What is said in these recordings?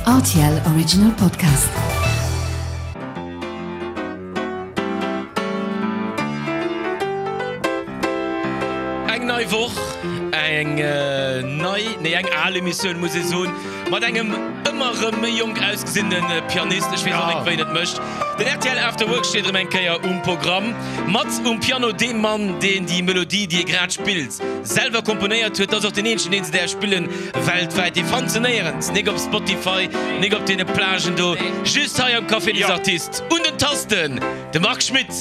Rtl Original Podcast. Eng nei Woch, eng nei, nee eng al Emissioun muss ee soen, mat engem ëmmer erëm méi jonk ausgesinnene Pianist. Ech weess och net wéi en et mécht. Den rtl After Work steet erëm eng Kéier um Programm. Mat um Piano dee Mann, deen déi Melodie, déi e grad spillt, selwer komponéiert huet. Dat ass och deen eenzegen, deen se däerf spillen weltwäit. Dee fannt se néierens, nik op Spotify, nik op deene Plagen do, just hei am Café des Artistes. Un den Tasten de Marc Schmitt.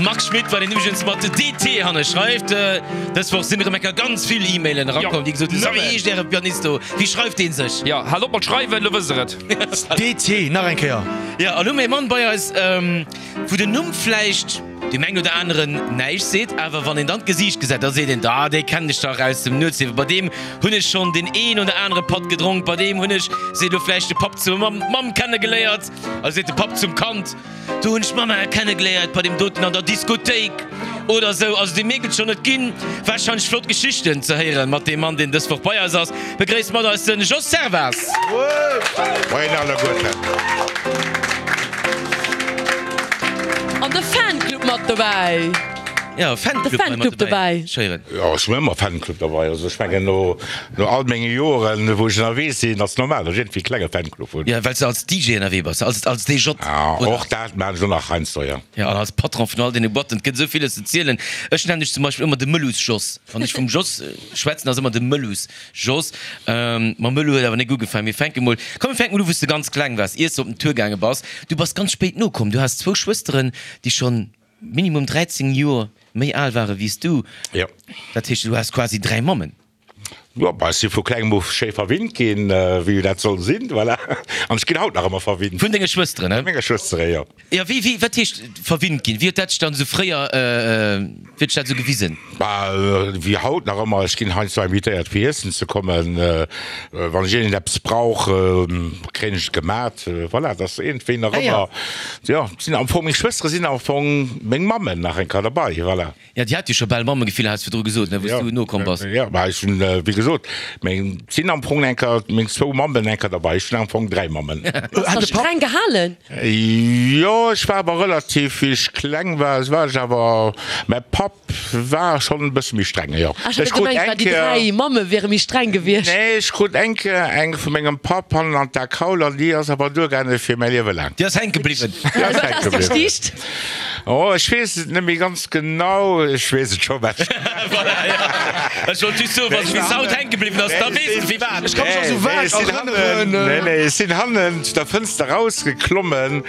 Marc Schmitt, wat een iwwregens mat DT hanne schreift. Dës Woch sinn erëm eng Kéier ganz vill E-Mailen erakomm, déi gesot hunn, So, wéi heescht äre Pianist do? Wéi schreift dee sech? Jo, haalt op mat schreiwen, lo wësst der et. DT, nach eng Kéier. Jo, an hu mir e Mann bei eis, wou den Numm vläicht deem engen oder aneren näischt seet, awer wann een dann d'Gesiicht gesäit, da seet een, Da, dee kennen ech dach aus dem Nuetsliewen, bei deem hunn ech schonn deen een oder anere Patt gedronk, bei deem hunn ech, seet elo vläicht de Papp zur Mamm, d'Mamm kennegeléiert, also seet de Papp zum Kand, Do hunn ech d'Mamma kennegeléiert bei deem doten an der Diskothéik oder esou. Also dee mierkt et schonn, et ginn warscheinlech flott Geschichten ze héieren mat deem Mann, deen dës Woch bei eis ass. Begréisst mat eis den Jos Servaz. Moien alleguerten. An de Fanclub mat dobäi. Jo, Fanclub hei mat dobäi. Ech héieren. Jo, ech hunn ëmmer Fanclub dobäi. Also ech mengen no no all menge Joren, wou ech ënnerwee sinn, ass normal, datt ech iergendwéi e klenge Fanclub hunn. Jo, well s de als DJ ënnerwee bass, als als DJ, oder? Och dat maachen ech och nach heiansdo, jo. Jo, an als Patron vun all deene Boîten. Et gëtt esou villes ze zielen. Ech nennen dech zum Beispill ëmmer de Mëllus-Jos. Wann ech vum Jos schwätzen, ass ëmmer de Mëllus-Jos. Mam Mëllu huet awer nik ugefaangen. Mir fänke mol, komm mir fänke mol u wou s de ganz kleng waars, iers de op den Tour gaange bass. Du bass ganz spéit nokomm. Du has zwou Schwësteren, déi schonn minimum 13 Joer méi al ware wéi s du. Jo. Dat heescht, du has quasi 3 Mammen. Jo, bah, ech si vu klengem u schéi verwinnt ginn, wéi dat soll sinn, voilà. An ech ginn haut nach ëmmer verwinnt. Vun denge Schwësteren, he? Vu menge Schwëstere, jo. Jo, wéi, wéi, wat heescht verwinnt ginn? Wéi huet dat sech dann esou fréier, wéi huet sech dat esou gewisen? Bah, wéi haut nach ëmmer, ech ginn heiansdo invitéiert fir iessen ze kommen. Wann ech iergendeppes brauch, kréien ech et gemat. Voilà, dat ass iergendwéi nach ëmmer, jo, sinn am Fong, meng Schwëstere sinn am Fong meng Mammen nach eng Kéier derbei, voilà. Jo, déi hat jo scho bal Mammegefill, has virdru gesot, ne, wou s du nokomm bass. Jo, mä ech hunn, wéi gesot, meng, sinn am Fong eng Kéier meng zwou Mammen eng Kéier derbei. Ech hunn am Fong 3 Mammen. Bass de streng gehalen? Jo, ech war awer relativ, wéi ech kleng war, war ech awer, mä Papp war schonn e bësse méi streng, jo. Ah, ech hat gemengt, well déi 3 Mamme wiere méi streng gewiescht. Nee, ech krut eng Kéier eng vu mengem Papp hannen an d'Akaul an déi ass awer duergaange fir mäi Liewe laang. Déi ass hänke bliwwen. Déi ass hänke bliwwen. Gestiicht? Oh, ech weess et net méi ganz genau. Ech weess et scho, mä. Voilà, ja. Ech wollt just soen, wa se bis haut hänke bliwwen ass, da weess de firwat. Ech ka mech nach sou vague erënneren. Nee, nee, ech sinn hannen zu der Fënster rausgeklommen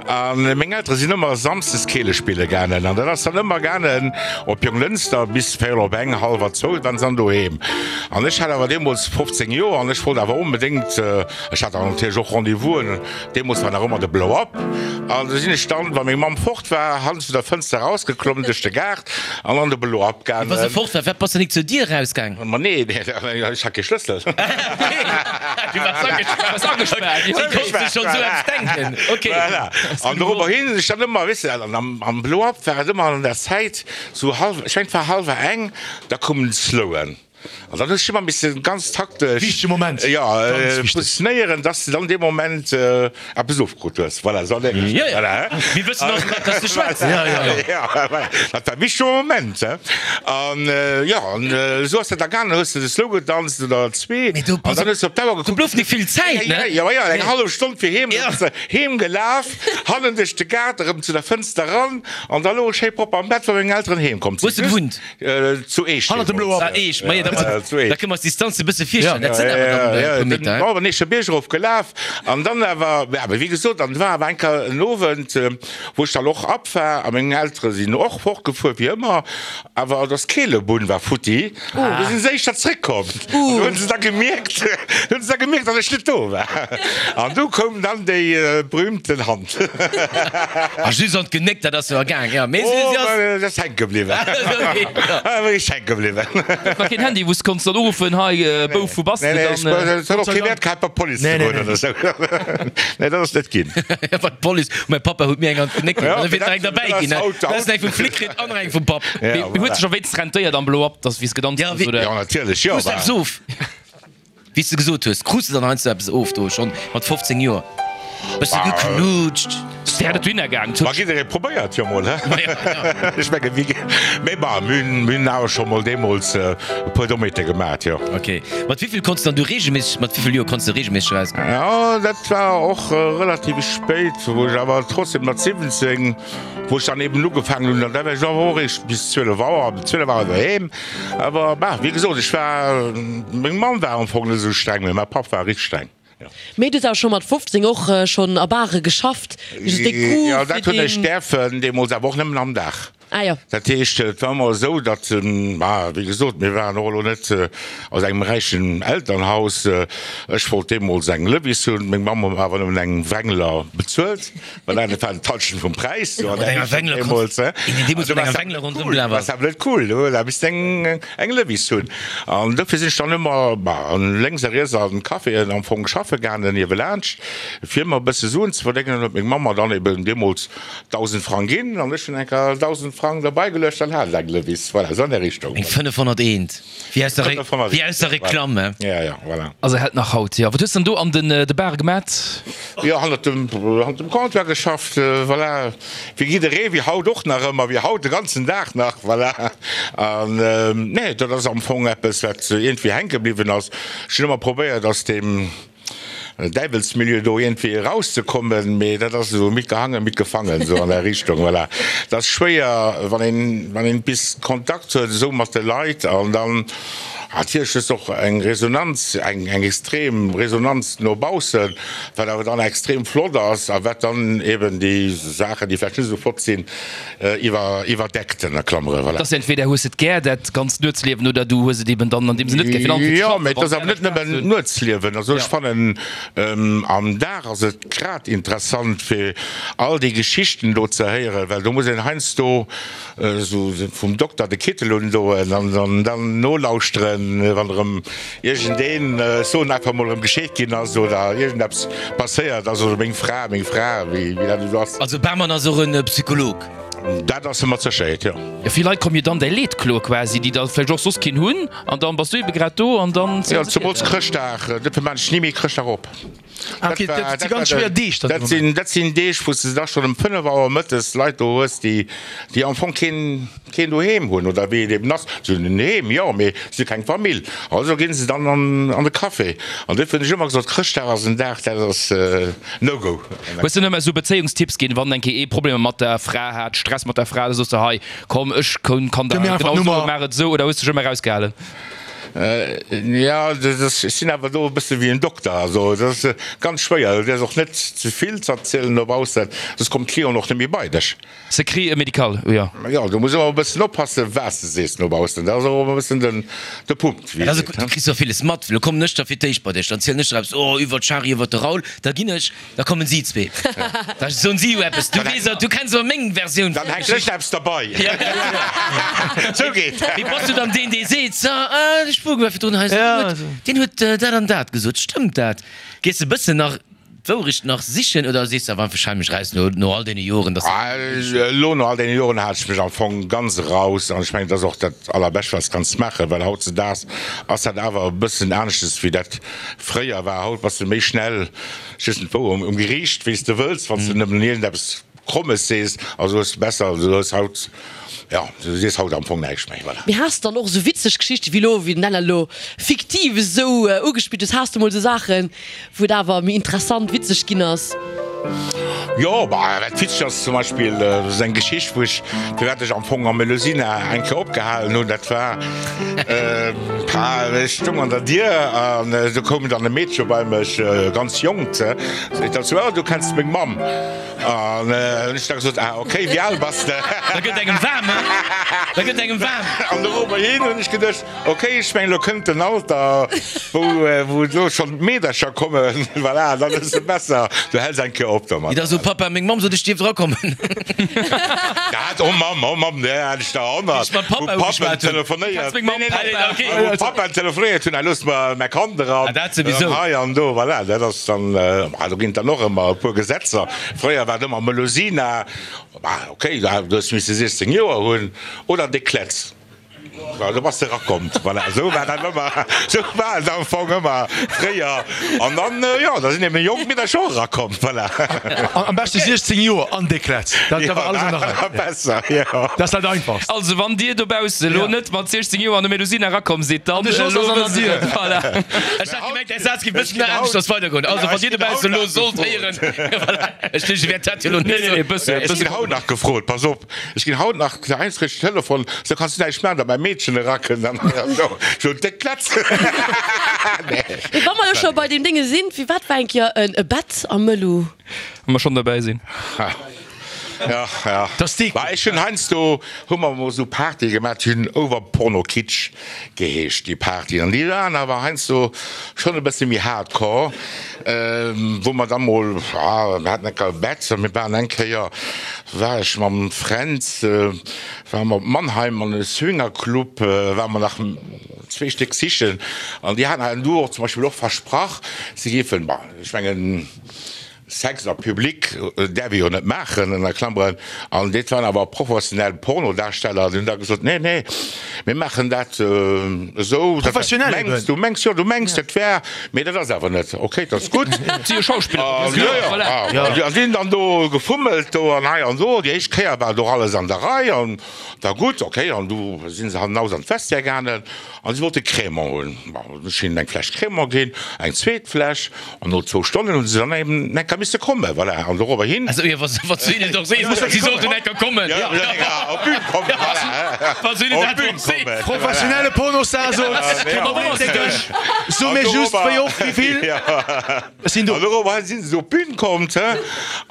a meng Eltere sinn ëmmer samsdes Keele spille gaangen. An dat ass dann ëmmer gaangen op Jonglënster bis véierel op eng, hallwer zwou, waren se dann doheem. An ech hat awer deemools 15 Joer an ech wollt awer onbedéngt, ech hat dann natierlech och Rendez-vousen, Deemols war nach ëmmer de Blow Up an du sinn ech dann, wa meng Mamm fort war, hannert zu der Fënster erausgeklommen duerch de Gaart an an de Blow Up gaangen. Wa se fort war, wat bass de nik zur Dier erausgaang? Ma nee, ech hat kee Schlëssel. Du waars agespaart. Si konnt sech schonn esou eppes denken. Ok. Voilà. An dorobber hin sinn ech dann ëmmer, weess de, an am Blow Up war et ëmmer an der Zäit sou hallwer, ech mengen et war hallwer eng, da koumen d'Slowen. An dann hues du ëmmer missen ganz taktesch, Wichtege Moment, jo, ganz wichteg. positionéieren, dass de dann dee Moment eppes ofkrut hues. Voilà, esou an där Richtung. Jo, jo. Voilà, hein. Mir wëssen och, wat dass de schwätz. Jo, jo, jo. Ja, voilà. Dat war e wichtege Moment, hein. An, jo, an esou ass dat da gaangen. Dann hues de de Slow gedanzt oder zwee. Mee do, An pass dann op, hues de op d'Auer do gekuckt. blouf nik vill Zäit, ne? Jo, jo, eng hallef Stonn fir heem. Ja. Dann bass de heem gelaf, hannen duerch de Gaart, erëm zu der Fënster ran an da louch ech schéi propper am Bett, wa meng Elteren heem komm Wou hues sinn. de gewunnt? Zu Eech. Hannert dem Bloer. Ah, Eech, ma jo, da da kënne mer eis d'Distanz e bësse virstellen. Dat sinn awer dann e puer Meter, Jo, den Eecher Bierg erof gelaf an dann awer, ja, wéi gesot, dann war awer eng Kéier en Owend, wou ech dann och ab war a meng Eltere sinn och fortgefuer, wéi ëmmer, awer et ass d'Keelebunn war futti, du sinn se éischter zréckkomm an du hunn se da gemierkt, du hunn se da gemierkt, datt ech net do war an du koum dann déi berühmten Hand. A just an d'Genéck, dat ass jo ergaang, jo, mee si ass. Oh, dat ass hänke bliwwen. Wéi ech hänke bliwwen. War keen Handy. quasi, wou s konns dann uruffen, hei Bouf, wou bass de? Nee, nee, Dann. et huet och kee Wäert gehat bei d'Police ze goen oder esou. Nee, dat ass net ginn. Ja, bei d'Police. Mäi Pappa huet mir eng an d'Genéck ginn. Ja, Da wier dat nach eng derbäi dat ginn, ass ne? haut, Da ass haut. eng vum Flic kritt an nach eng vum Papp. Ja, Mee huet voilà. sech och wéinst rentéiert am Blow-up, dass wéi s gedanzt Ja, hues, wéi. oder? Ja, natierlech, jo. Krus de eppes of? Wéi s de gesot hues, krus de dann heiansdo eppes of do schonn mat 15 Joer? Bësse geknutscht? Wär et dohinner gaang? Ma jidderee probéiert jo mol, he? Ech menge wéi, mee bah, mir hunn, mir hunn awer scho mol deemools e puer Dommheete gemat, jo. Ok. Mat wéivill konns de dann du reegelméisseg, mat wéivill Joer konns de reegelméisseg erausgoen? Jo, dat war och relativ spéit, wou ech awer trotzdem mat 17, wou ech dann eben ugefaangen hunn, an da war ech awer och eréischt bis 12 Auer, ab 12 Auer doheem. Awer bah, wéi gesot, ech war, meng Mamm war am Fong net esou streng, mee mäi Papp war richteg streng, jo. Mee du hues awer scho mat 15 och schonn a Bare geschafft, just dee Goût Jo, fir dat hunn ech deen. däerfen, deemools awer och nëmmen am Dag. Ah jo. Dat heescht, et war ëmmer esou, datt, bah, wéi gesot, mir waren och elo net aus engem räichen Elternhaus. Ech wollt deemools eng Levis hunn, meng Mamm huet mer awer nëmmen eng Wrangler bezuelt. Well dat war d'Halschent vum Präis. Mat enger Wengler konns du Dat awer net cool, da misst eng eng Levis hunn. An dofir sinn ech dann ëmmer lénks a riets an Caféen am Fong schaffe gaangen, niewelaanscht, fir mer e bësse Suen ze verdéngen. An huet meng Mamm mer dann eben deemools 1.000 Frang ginn an ech hunn eng Kéier 1.000 Frang derbei geluecht, dann hat ech eng Levis. Voilà, esou an där Richtung. Eng 501. Wéi aus der, wéi aus der Reklamm, he? Ja, ja, voilà. Also hält nach haut, jo. Wat hues dann do an den de Bare gemat? Jo, hannert dem, hannert dem Comptoir geschafft, voilà. Wéi jidderee, wéi haut och nach ëmmer, wéi haut de ganzen Dag nach, voilà. An, nee, dat ass am Fong eppes, wat iergendwéi hänke bliwwen ass. Ech hunn ëmmer probéiert, aus deem Däiwelsmilieu do iergendwéi erauszekommen, mee dat ass esou mitgehangen, mitgefangen, esou an der Richtung, voilà. Dat ass schwéier, wann een, wann een bis Kontakt huet esou mat de Leit an dann natierlech hues de och eng Resonanz, eng, eng extrem Resonanz no baussen, wat awer dann extrem flott ass a wat dann eben déi Saachen, déi vläicht net esou flott sinn, iwwer, iwwerdeckt, ënner Klammere, voilà. Et ass entweder hues et gär, dat ganzt Nuetsliewen, oder du hues et eben dann an deem Sënn net gär, fir dann Jo, mee et ass awer net nëmmen d'Nuetsliewen. Also ech fannen, am Dag ass et grad interessant, fir all déi Geschichten do ze héieren, well do muss een heiansdo esou vum Dokter de Kittel undoen an dann nolauschteren, wann erëm iergendeen, ech soen einfach mol, erëm gescheet ginn ass oder iergendeppes passéiert ass oder meng Fra, meng Fra, wéi dat esou ass. Also Barmann ass och e Psycholog? Dat ass e mat Sécherheet, jo. Jo, vill Leit kommen jo dann däi Leed kloe quasi, déi da vläicht och soss keen hunn, an dann bass du ebe grad do an dann Jo, zemools Chrëschtdag, dofir maan ech ni méi Chrëschtdag op. Ah, okay, dat si ganz schwéier Deeg dann. Dat sinn, dat sinn Deeg, wou s de da schonn ëm 5 Auer mëttes Leit do hues, déi, déi am Fong keen, keen Doheem hunn oder wéi et eben ass. Se hunn en Heem, jo, mee se hu keng Famill. Also ginn se dann an, an de Café. An dofir hunn ech ëmmer gesot, Chrëschtdag ass en Dag, dat ass no go. Hues de nëmme esou Bezéiungstipps ginn, wann eng Kéier ee Problemer mat der Fra hat, Stress mat der Fra, da soss de, hei, komm, ech kann der genau soen, maach et esou, oder hues de dech ëmmer erausgehalen? Jo, ech sinn awer do e bësse wéi en Dokter. Also dat ass ganz schwéier. Du däerfs och net ze vill z'erzielen no baussen, soss kommt d'Clienten och net méi bei dech. Secret médical, jo. Jo, du muss ëmmer e bëssen oppassen, wat s de sees no baussen. Dat ass och ëmmer e bëssen den de Punkt, wéi Also ee seet, du he. kriss jo villes mat. Lo kommen ech da fir d'éischt bei dech, dann zielen ech der eppes, oh, iwwer d'Shari, iwwer de Raoul, da ginn ech. Da kommen si zwee. Da soen si jo eppes. Du weess, du kenns awer meng Versioun Dann hänkt ech eppes derbei. Sou geet dat. Mee bass du dann deen, dee seet, So, ah, de Spuck war virdrun hei, deen huet, deen huet dat an dat gesot. Stëmmt dat? Gees de e bëssen nach d'Wourecht nach sichen oder sees de awer einfach, ech hale mech raus no, no all deene Joren, dass. Elo no all deene Joren hale ech mech am Fong ganz eraus an ech mengen, dat ass och dat Allerbescht, wat s kanns maachen, well hautzedaags ass dat awer e bëssen aneschtes wéi dat fréier war. Haut bass de méi schnell Ech weess net wou, um Geriicht, wéi s de wëlls, wann s de nëmmen iergendeppes Krommes sees, also hues de besser, du hues haut, jo, du sees haut am Fong näischt méi, voilà. Mee has de dann och esou witzeg Geschichten, wéi elo, wéi den Ella elo fiktiv esou ugespillt hues, has de mol esou Saachen, wou et awer méi interessant, witzeg ginn ass? Jo, bah, wat witzeg ass zum Beispill, dat ass eng Geschicht, wou ech, firwat ech am Fong am Melusina eng Kéier opgehalen hunn, dat war, ech stoung an der Dier an do koum dann e Meedche bei mech, e ganz jonkt, seet dann zu mir, oh, du kenns meng Mamm. An hunn ech da gesot, ah, okay, wéi al bass de? Da gëtt engem waarm, he? Da gëtt engem waarm. An dorobberhin hunn ech geduecht, okay, ech mengen, elo kënnt den Alter, wou, wou elo schonn d'Meedercher kommen, voilà, dann ass et besser, du häls eng Kéier op domat. Et ass esou. Papa, meng Mamm sot ech dierf drakommen. Dat, oh Mamm, oh Mamm, där hat ech der honnert. Wéi ech mam Papa Wou ugeschwat Pappen hunn. telefonéiert. Meng Mamm, Nee, nee, nee, Papa, okay. Wou Pappen telefonéiert hunn, hei looss mer mäi Kand eran. Ah, dat souwisou. An hei an do, voilà, dat ass dann, ah, do ginn et dann och ëmmer e puer Gesetzer. Fréier war et ëmmer Melusina, ah, okay, du hues misse 16 Joer hunn, oder déck Klätz. Voilà, do bass de erakomm. Voilà, esou war dat ëmmer, esou war et am Fong ëmmer fréier. An dann, jo, da sinn eben jonk Meedercher och erakomm, voilà. Am beschte 16 Joer an déck Klätz, dat war alles an der Rei. Besser, jo. Dat ass dat Einfachst. Also wann dir dobausse elo net mat 16 Joer an de Melusina erakomm sidd, dann De Jos ass an der Dier. Voilà. Ech hat gemengt, däi Saz géif e bëssen méi aneschters weidergoen. Also wann dir dobausse elo sollt héieren, voilà, ech duecht, ech wäert dat jo elo net Nee, nee, soen. nee, bësse, Ech bësse. ginn haut nach gefrot, pass op. Ech ginn haut nach heiansdo kréich ech Telefon, sou kanns du näischt maachen, datt mäi Meedchen erakënnt an esou, sou déck Klätz. Mee wa mer elo scho bei deem Dénge sinn, firwat war eng Kéier e Bett am Mëllu? Wa mer schonn derbäi sinn. Ja, ja. Dass déi. Bah, ech hunn heiansdo, hu mer emol esou Partye gemaach, déi hunn Over Porno Kitsch geheescht, déi Partyen. An déi waren awer heiansdo schonn e bësse méi hardcore, wou mer da mol, ah, mir haten eng Kéier e Bett a mir waren eng Kéier, war ech mam Fränz, ware mer op Mannheim an e Swingerclub, ware mer nach zwee Stéck sichen an déi haten du och zum Beispill och versprach, si géifen, bon, ech mengen, Sex a Public däerf ee jo net maachen, ënner Klammeren, an dat waren awer professionell Pornodarsteller, déi hunn da gesot, nee, nee, mir maachen dat esou, dat Professionell eben. mengs, du mengs, jo, du mengs, dat wär, mee dat ass awer net, okay, dat ass gutt. Si jo Schauspiller, An, jo, jo, voilà. a si hunn dann do gefummelt do an hei an do, déi éischt Kéier war do alles an der Rei an war gutt, okay, an du si se hannenaus an d'Vestiaire gaangen an si wollte Crémant hunn. Bon, ech hinnen eng Fläsch Crémant ginn, eng zweet Fläsch. An no zwou Stonnen hunn se dann eben enker misse kommen, voilà. An dorobber hin. Also, jo, wa se hinnen doch sees, si sollten enker kommen. Jo, jo, enker op d'Bün kommen, voilà. Wa se hinnen Op dat d'Bün doch sees. kommen. Professionelle Pornostar sot, So mir just, wéi oft, wéi vill, ech sinn do. An dorobber hin sinn se op d'Bün komm, he,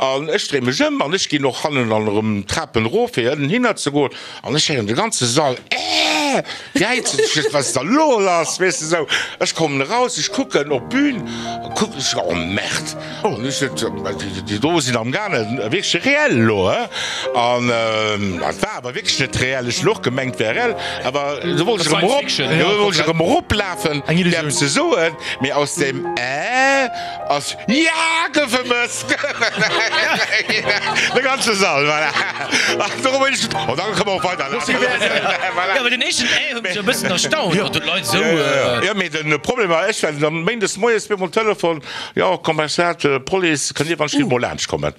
an ech dréi mech ëm an ech ginn och hannen an erëm d'Trapen erof, fir ënnen hinner ze goen. An ech héieren de ganze Sall, Äh! Jäizen, ech weess, wat ass da lo lass, weess de sou. Ech kommen eraus, ech kucken op d'Bün, kucken ech, oh Merde! An ech sot, déi do sinn am gaangen, wierklech reell elo, he? An et war awer wierklech net reell, ech hunn och gemengt, et wär reell, awer du wollt ech erëm erop, du wollt ech erëm eroplafen, fir eppes ze soen, mee aus deem Äh ass Ja, gouf e Mëss! De ganze Sall, voilà. Dorop hunn ech geduecht, oh, da kënne mer och weiderlafen. Jo, awer den éischten Äh huet mech e bëssen erstaunt, datt do d'Leit esou. Jo, mee de Problem war, ech war dann méindes moies op eemol Telefon, jo, Kommissariat, Police, kënnt Dir wann ech giff mol laanscht kommen?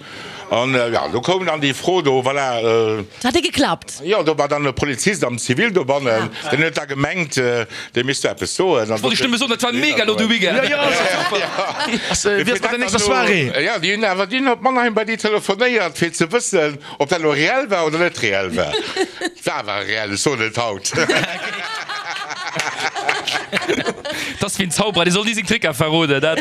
An jo, do koum dann déi Fro do, voilà. Et hat ee geklappt. Jo, do war dann e Polizist am Zivil dobannen, deen huet da gemengt, dee misst do eppes soen. Ech wollt dech nëmme soen, dat war mega lo de Weekend. Jo, jo, ass super. Wéi ass mat der nächster Soirée? Jo, déi hunn awer, déi hunn op Mannheim bei déi telefonéiert, fir ze wëssen, ob dat elo reell war oder net reell war. Et war awer reell, ech soen et haut. Dat ass wéi en Zauberer, dee soll ni seng Tricker verroden. Dat,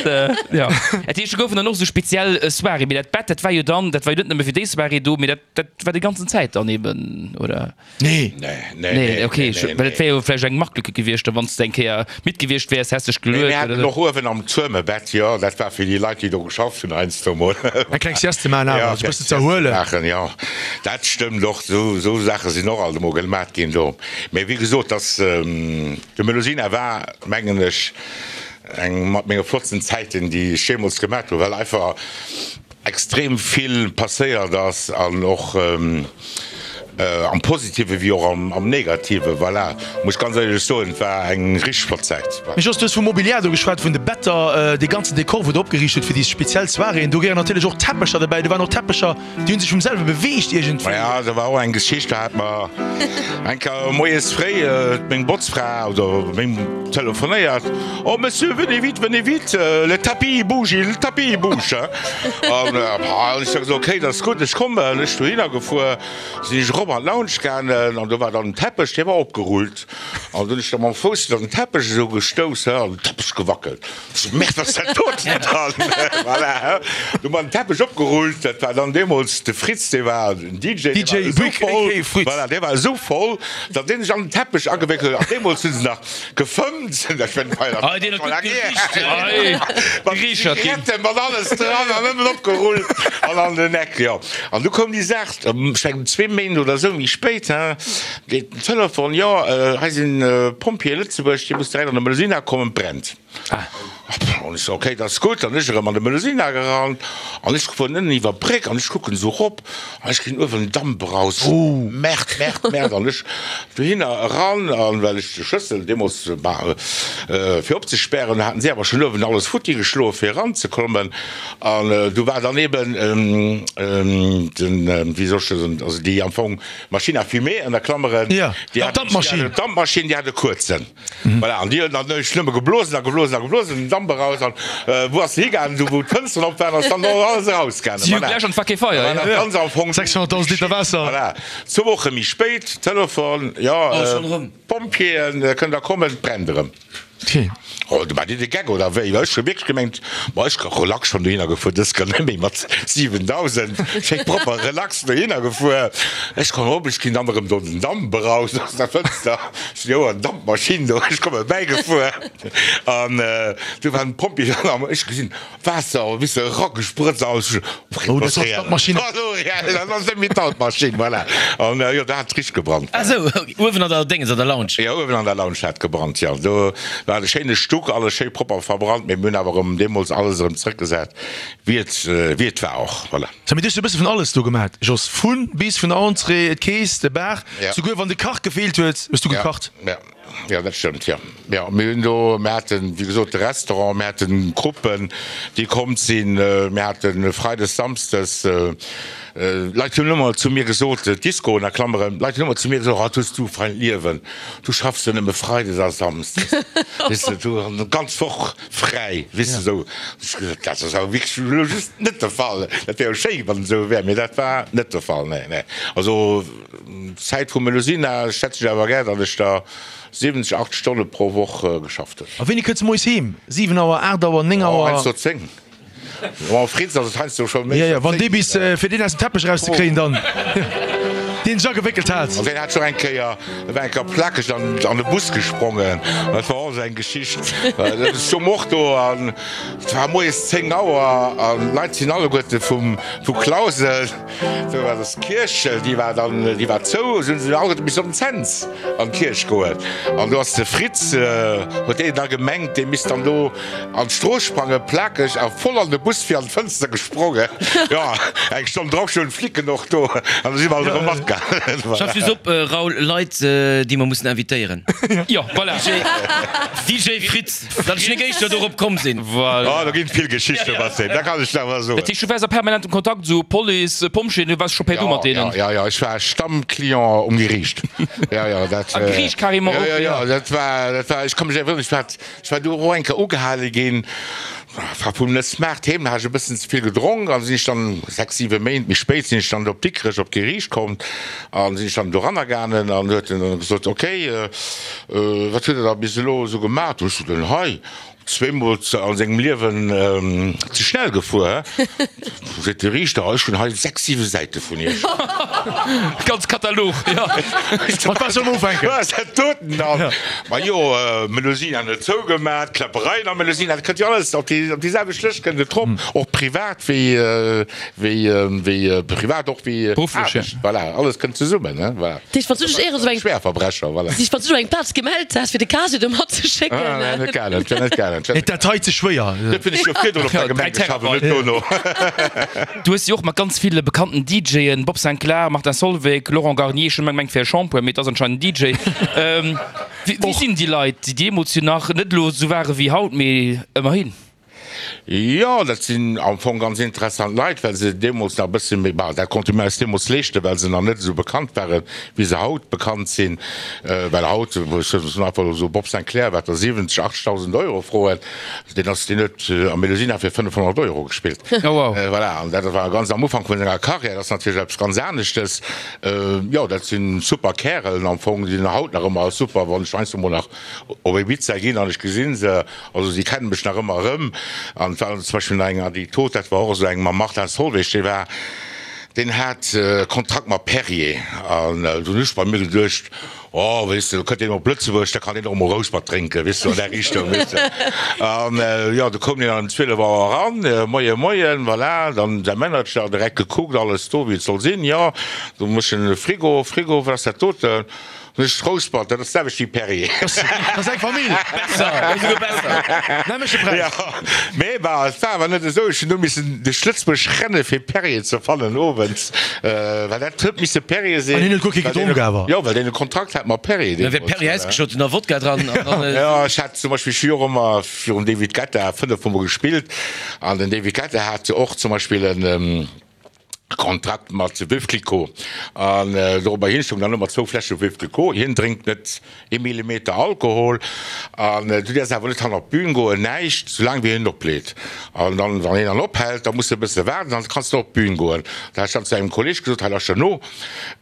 jo. Dat heescht, do goufen dann och esou speziell Soiréeën. Mee dat Bett, dat war jo dann, dat war jo net nëmme fir déi Soirée do, mee dat, dat war déi ganzen Zäit dann eben, oder? Nee. Nee, nee, Nee, okay, nee, well et wär jo vläicht eng Marktlücke gewiescht, da wann s de eng Kéier midd gewiescht wäers, häss dech Nee, geluet mir haten oder. och uewen am Tuerm e Bett, jo, dat war fir déi Leit, déi do geschafft hunn heiansdo mol. Eng kleng Sieste maachen awer, Ja, sech e bëssen kleng ze Sieste erhuelen. maachen, jo, dat stëmmt och. Esou, esou Saache sinn och alt emol gemat ginn do. Mee wéi gesot, dass de Melusina war, mengen ech, eng mat menge flottsten Zäiten, déi ech jeemools gemat hunn, well einfach extrem vill passéiert ass an och am Positive wéi och am Negative. Voilà, muss ech ganz éierlech soen, et war eng richteg flott Zäit. Mee Jos, du hues vum Mobiliar do geschwat, vun de Better, dee ganzen Dekor, wou der opgeriicht hutt fir déi speziell Soiréeën. Do gehéieren natierlech och Teppecher dobäi. Do waren och Teppecher, Déi hunn sech vum selwe beweegt iergendwéi. Maja, do war och eng Geschicht, do hat mer eng Kéier moies fréi meng Botzfra oder meng telefonéiert, Oh Monsieur, venez vite, venez vite, le tapis il bouge, le tapis il bouge. An ech hu gesot, ok, dat ass gutt, ech kommen. Ech dohinner gefuer, sinn ech erop an d'Lounge gaangen an do war dann den Teppech, dee war opgerullt. An dunn hunn ech da mam Fouss an den Teppech esou gestouss, he, an den Teppech gewackelt. Ech so, Merde, wat ass dat doten dann? Voilà, he. Du hu mer den Teppech opgerullt, dat war dann deemools de Fritz, dee war den DJ, dee war esou voll, voilà, dee war esou voll, datt dee sech an den Teppech agewéckelt huet. An deemools hu se nach gefëmmt, dat war laang hier, mat Zigaretten, mat alles dran an nëmmen opgerullt an an den Eck, jo. An du koum déi Saach, ech mengen zwee Méint oder esou méi spéit, he, Geet den Telefon, jo, hei sinn Pompjeeë Lëtzebuerg, Dir musst direkt an de Melusina kommen, et brennt. An ech so, ok, dat ass gutt. An ech erëm an de Melusina gerannt an ech fueren ënnen iwwer d'Bréck an ech kucken esou erop an ech gesinn uewen Damp eraus. Merde, merde, merde. An ech dohinner eran an well ech de Schlëssel deemools, bah, fir opzespären, haten si awer schonn uewen alles futti geschloe fir eranzekommen. An du war dann eben den, wéi soll ech dat soen, also déi am Fong Machine à fumer ënner Klammeren, Ja, déi hat d'Dampmaschinn. D'Dampmaschinn, déi hat e kuerzen. Voilà, an déi huet dann nëmme geblosen a geblosen a geblosen, den Damp eraus an wou ass se higaangen? Do wou d'Fënsteren op waren, ass dann och alles erausgaangen. Si hu gläich an d'Faké Feier, ja. Voilà, ganz am Fong. 600.000 Liter Waasser. Voilà, zwou Woche méi spéit, Telefon, jo, Pompjeeën, kënnt der kommen, et brennt erëm. Oh, du war dir de Geck oder wéi? Well ech hu wierklech gemengt, ma ech relax schonn dohinner gefuer, dës kann net méi mat 7000, schéi propper relax dohinner gefuer. Ech kommen op, ech ginn dann erëm do den Damp eraus aus der Fënster. Ech jo, an Dampmaschinn do, ech komme bäigefuer an du waren d'Pompjeeë dann am, ech gesinn Waasser wéi se eragesprëtzt ass. Oh, dat ass d'Dampmaschinn. Dat ass eng Metallmaschinn, voilà. An jo, do hat et richteg gebrannt. Ah sou, uewen an der Déngens, an der Lounge? Jo, uewen an der Lounge hat et gebrannt, jo. Do war e schéine Stuck, alles schéi propper verbrannt, mee mir hunn awer erëm deemools alles erëm zrëckgesat, wéi et, wéi et war och, voilà. Sou, mee du hues jo e bësse vun alles do gemat, Jos. Vu bis, vun der Entrée, d'Keess, de Bar, souguer wann de Kach gefeelt huet, hues du gekacht. Ja, ja. Jo, dat stëmmt, jo. Jo, mir hunn do, mir haten, wéi gesot, de Restaurant, mir haten Gruppen, déi komm sinn, mir hate freides, samsdes, Leit hunn ëmmer zu mir gesot, Discoen a Klammeren, Leit hunn ëmmer zu mir gesot, oh, du hues du fein Liewen, du schaffs jo nëmme freides a samsdes, weess de, du hues d'ganz Woch fräi, weess de, esou. Ech hu gesot, dat ass awer wierklech elo just net de Fall. Dat wär jo schéi, wann et esou wär, mee dat war net de Fall, nee, nee. Also. Zäit vum Melusina schätze ech awer gär, datt ech der 70, 80 Stonne pro Woch geschafft hunn. A wéini kënns de moies heem? 7 Auer, 8 Auer, 9 Auer? Oh, heiansdo 10. Mam Fritz ass et heiansdo scho méi. Jo, jo, wann dee bis, fir deen aus dem Teppech erauszekréien dann, deen sech agewéckelt hat. An deen hat scho eng Kéier, e war eng Kéier plakeg an an de Bus gesprongen. Dat war och esou eng Geschicht. Ech stoung och do an et war moies 10 Auer an d'Leit sinn alleguerte vum, vu Clausel. Do war das Kierch, déi war dann, déi war zou, sou hunn se alleguerte missen op den Cents an d'Kierch goen. An do ass de Fritz, huet deen da gemengt, dee misst dann do an d'Strooss sprangen, plakeg a voll an de Bus fir an d'Fënster gesprongen. Jo, eng Stonn drop stoungen d'Flicken och do an da si mer alt erëm matgaangen. Schaff just op, Raoul, Leit, déi mer mussen invitéieren. Jo, voilà. DJ Fritz. Datt ech nik éischter dorop komm sinn. Voilà. Oh, do ginn vill Geschichten mat deem, dat kann ech der awer soen. Dat heescht, du waars a permanentem Kontakt, esou Police, Pompjeeën, du waars scho per Du mat deenen? Ja, ja, ja, ech war Stammclient um Geriicht. Ja, ja, dat. A Geriicht carrément och? Ja, ja, ja, dat war, dat war, ech ka mech erënneren, ech war, ech war do och eng Kéier ugehale ginn, war vum net smart heem, hat ech e bëssen ze vill gedronk an sinn ech dann 6, 7 Méint méi spéit sinn ech dann op Dikrech op d'Geriicht komm an sinn ech dann doranner gaangen an huet en dann gesot, okay, Wat huet Der da bis elo esou gemaach? Du hues jo den hei zweemol a sengem Liewen ze schnell gefuer, hä? Seet de Riichter, ech hunn hei 6, 7 Säite vun Iech. Ganz Katalog, jo. Mat wat soll mer ufänken? Wat ass dat doten dann? Majo, Melusina net zougemat, Kläppereien am Melusina, dat kënnt jo alles op déi op déi selwecht Lëscht kënnt et drop, och privat wéi wéi privat och wéi Berufflech, Aarbecht. Voilà, alles kënnt zesummen, hä? Voilà. Dich wann du dech éier esou eng Schwerverbrecher, voilà. Dich wann du eng Plaz gemellt häss fir de Casier do matzeschécken. Ah, nee, net gaangen, net gaangen. Et dat hei ze schwéier. Dat hunn ech jo virdrun op der Gemeng geschafft an net dono. Du hues jo och mat ganz ville bekannten DJen, Bob Sinclar, Martin Solveig, Laurent Garnier, ech hunn ëmmer gemengt wär e Shampoing, mee et ass anscheinend en DJ. Wéi sinn déi Leit, déi deemools jo nach net elo esou ware wéi haut, mee ëmmerhin? Jo, dat sinn am Fong ganz interessant Leit, well se deemools nach e bësse méi, bah, dat konnte mir eis deemools leeschten, well se nach net esou bekannt waren, wéi se haut bekannt sinn. Well haut, ech soen einfach elo esou, Bob Sinclair, wat der 70, 80.000 Euro froen, deen ass, deen huet am Melusina fir 500 Euro gespillt. Oh wow. Voilà, an dat war ganz am Ufank vun senger Karriär, dat ass natierlech eppes ganz aneschtes. Jo, dat si super Kärelen am Fong, déi sinn haut nach ëmmer super, wann ech heiansdo mol nach op Ibiza ginn an ech gesi se, also si kennen mech nach ëmmer erëm. An et war zum Beispill nach eng Anekdot, dat war och esou eng mam Martin Solveig, dee war, deen hat e Kontrakt mat Perrier an du hunn ech bei mir geduecht, oh weess de, do kënnt deen op Lëtzebuerg, da kann deen och emol Rouspert drénken, weess de, an där Richtung, weess de. An jo, du koum deen dann ëm 12 Auer eran, moie moien, voilà, dann säi Manager direkt gekuckt, alles do wéi et soll sinn, jo, du méchs en Frigo, Frigo, wat ass dat doten? Mech Rouspert, dat ass d'selwecht wéi Perrier. Dat ass eng Famill. Besser, esouguer besser. Nämleche Präis. Jo, mee bah, et war awer net esou. Ech hunn do missen duerch Lëtzebuerg renne fir Perrier ze fannen owends, well dat huet misse Perrier sinn. An hien huet guer kee gedronk awer. Jo, well deen e Kontrakt hat mat Perrier Da wär deemools. Perrier äisgeschott an da Wodka dran an dann. Jo, ech hat zum Beispill, ech hu jo och ëmmer virum David Guetta 5 Mol gespillt an den David Guetta hat och zum Beispill en. Kontrakt mat Veuve Clicquot an dorobber hin stoung dann ëmmer zwou Fläsche Veuve Clicquot. Hien drénkt net ee Millimeter Alkohol an du däerfs awer net hannert d'Bün goen, näischt, soulaang wéi hien opleet. An dann, wann hien dann ophält, da muss de e bësse waarden, dann kanns de op d'Bün goen. Da hat ech dann zu engem Kolleeg gesot, hei lauschter no,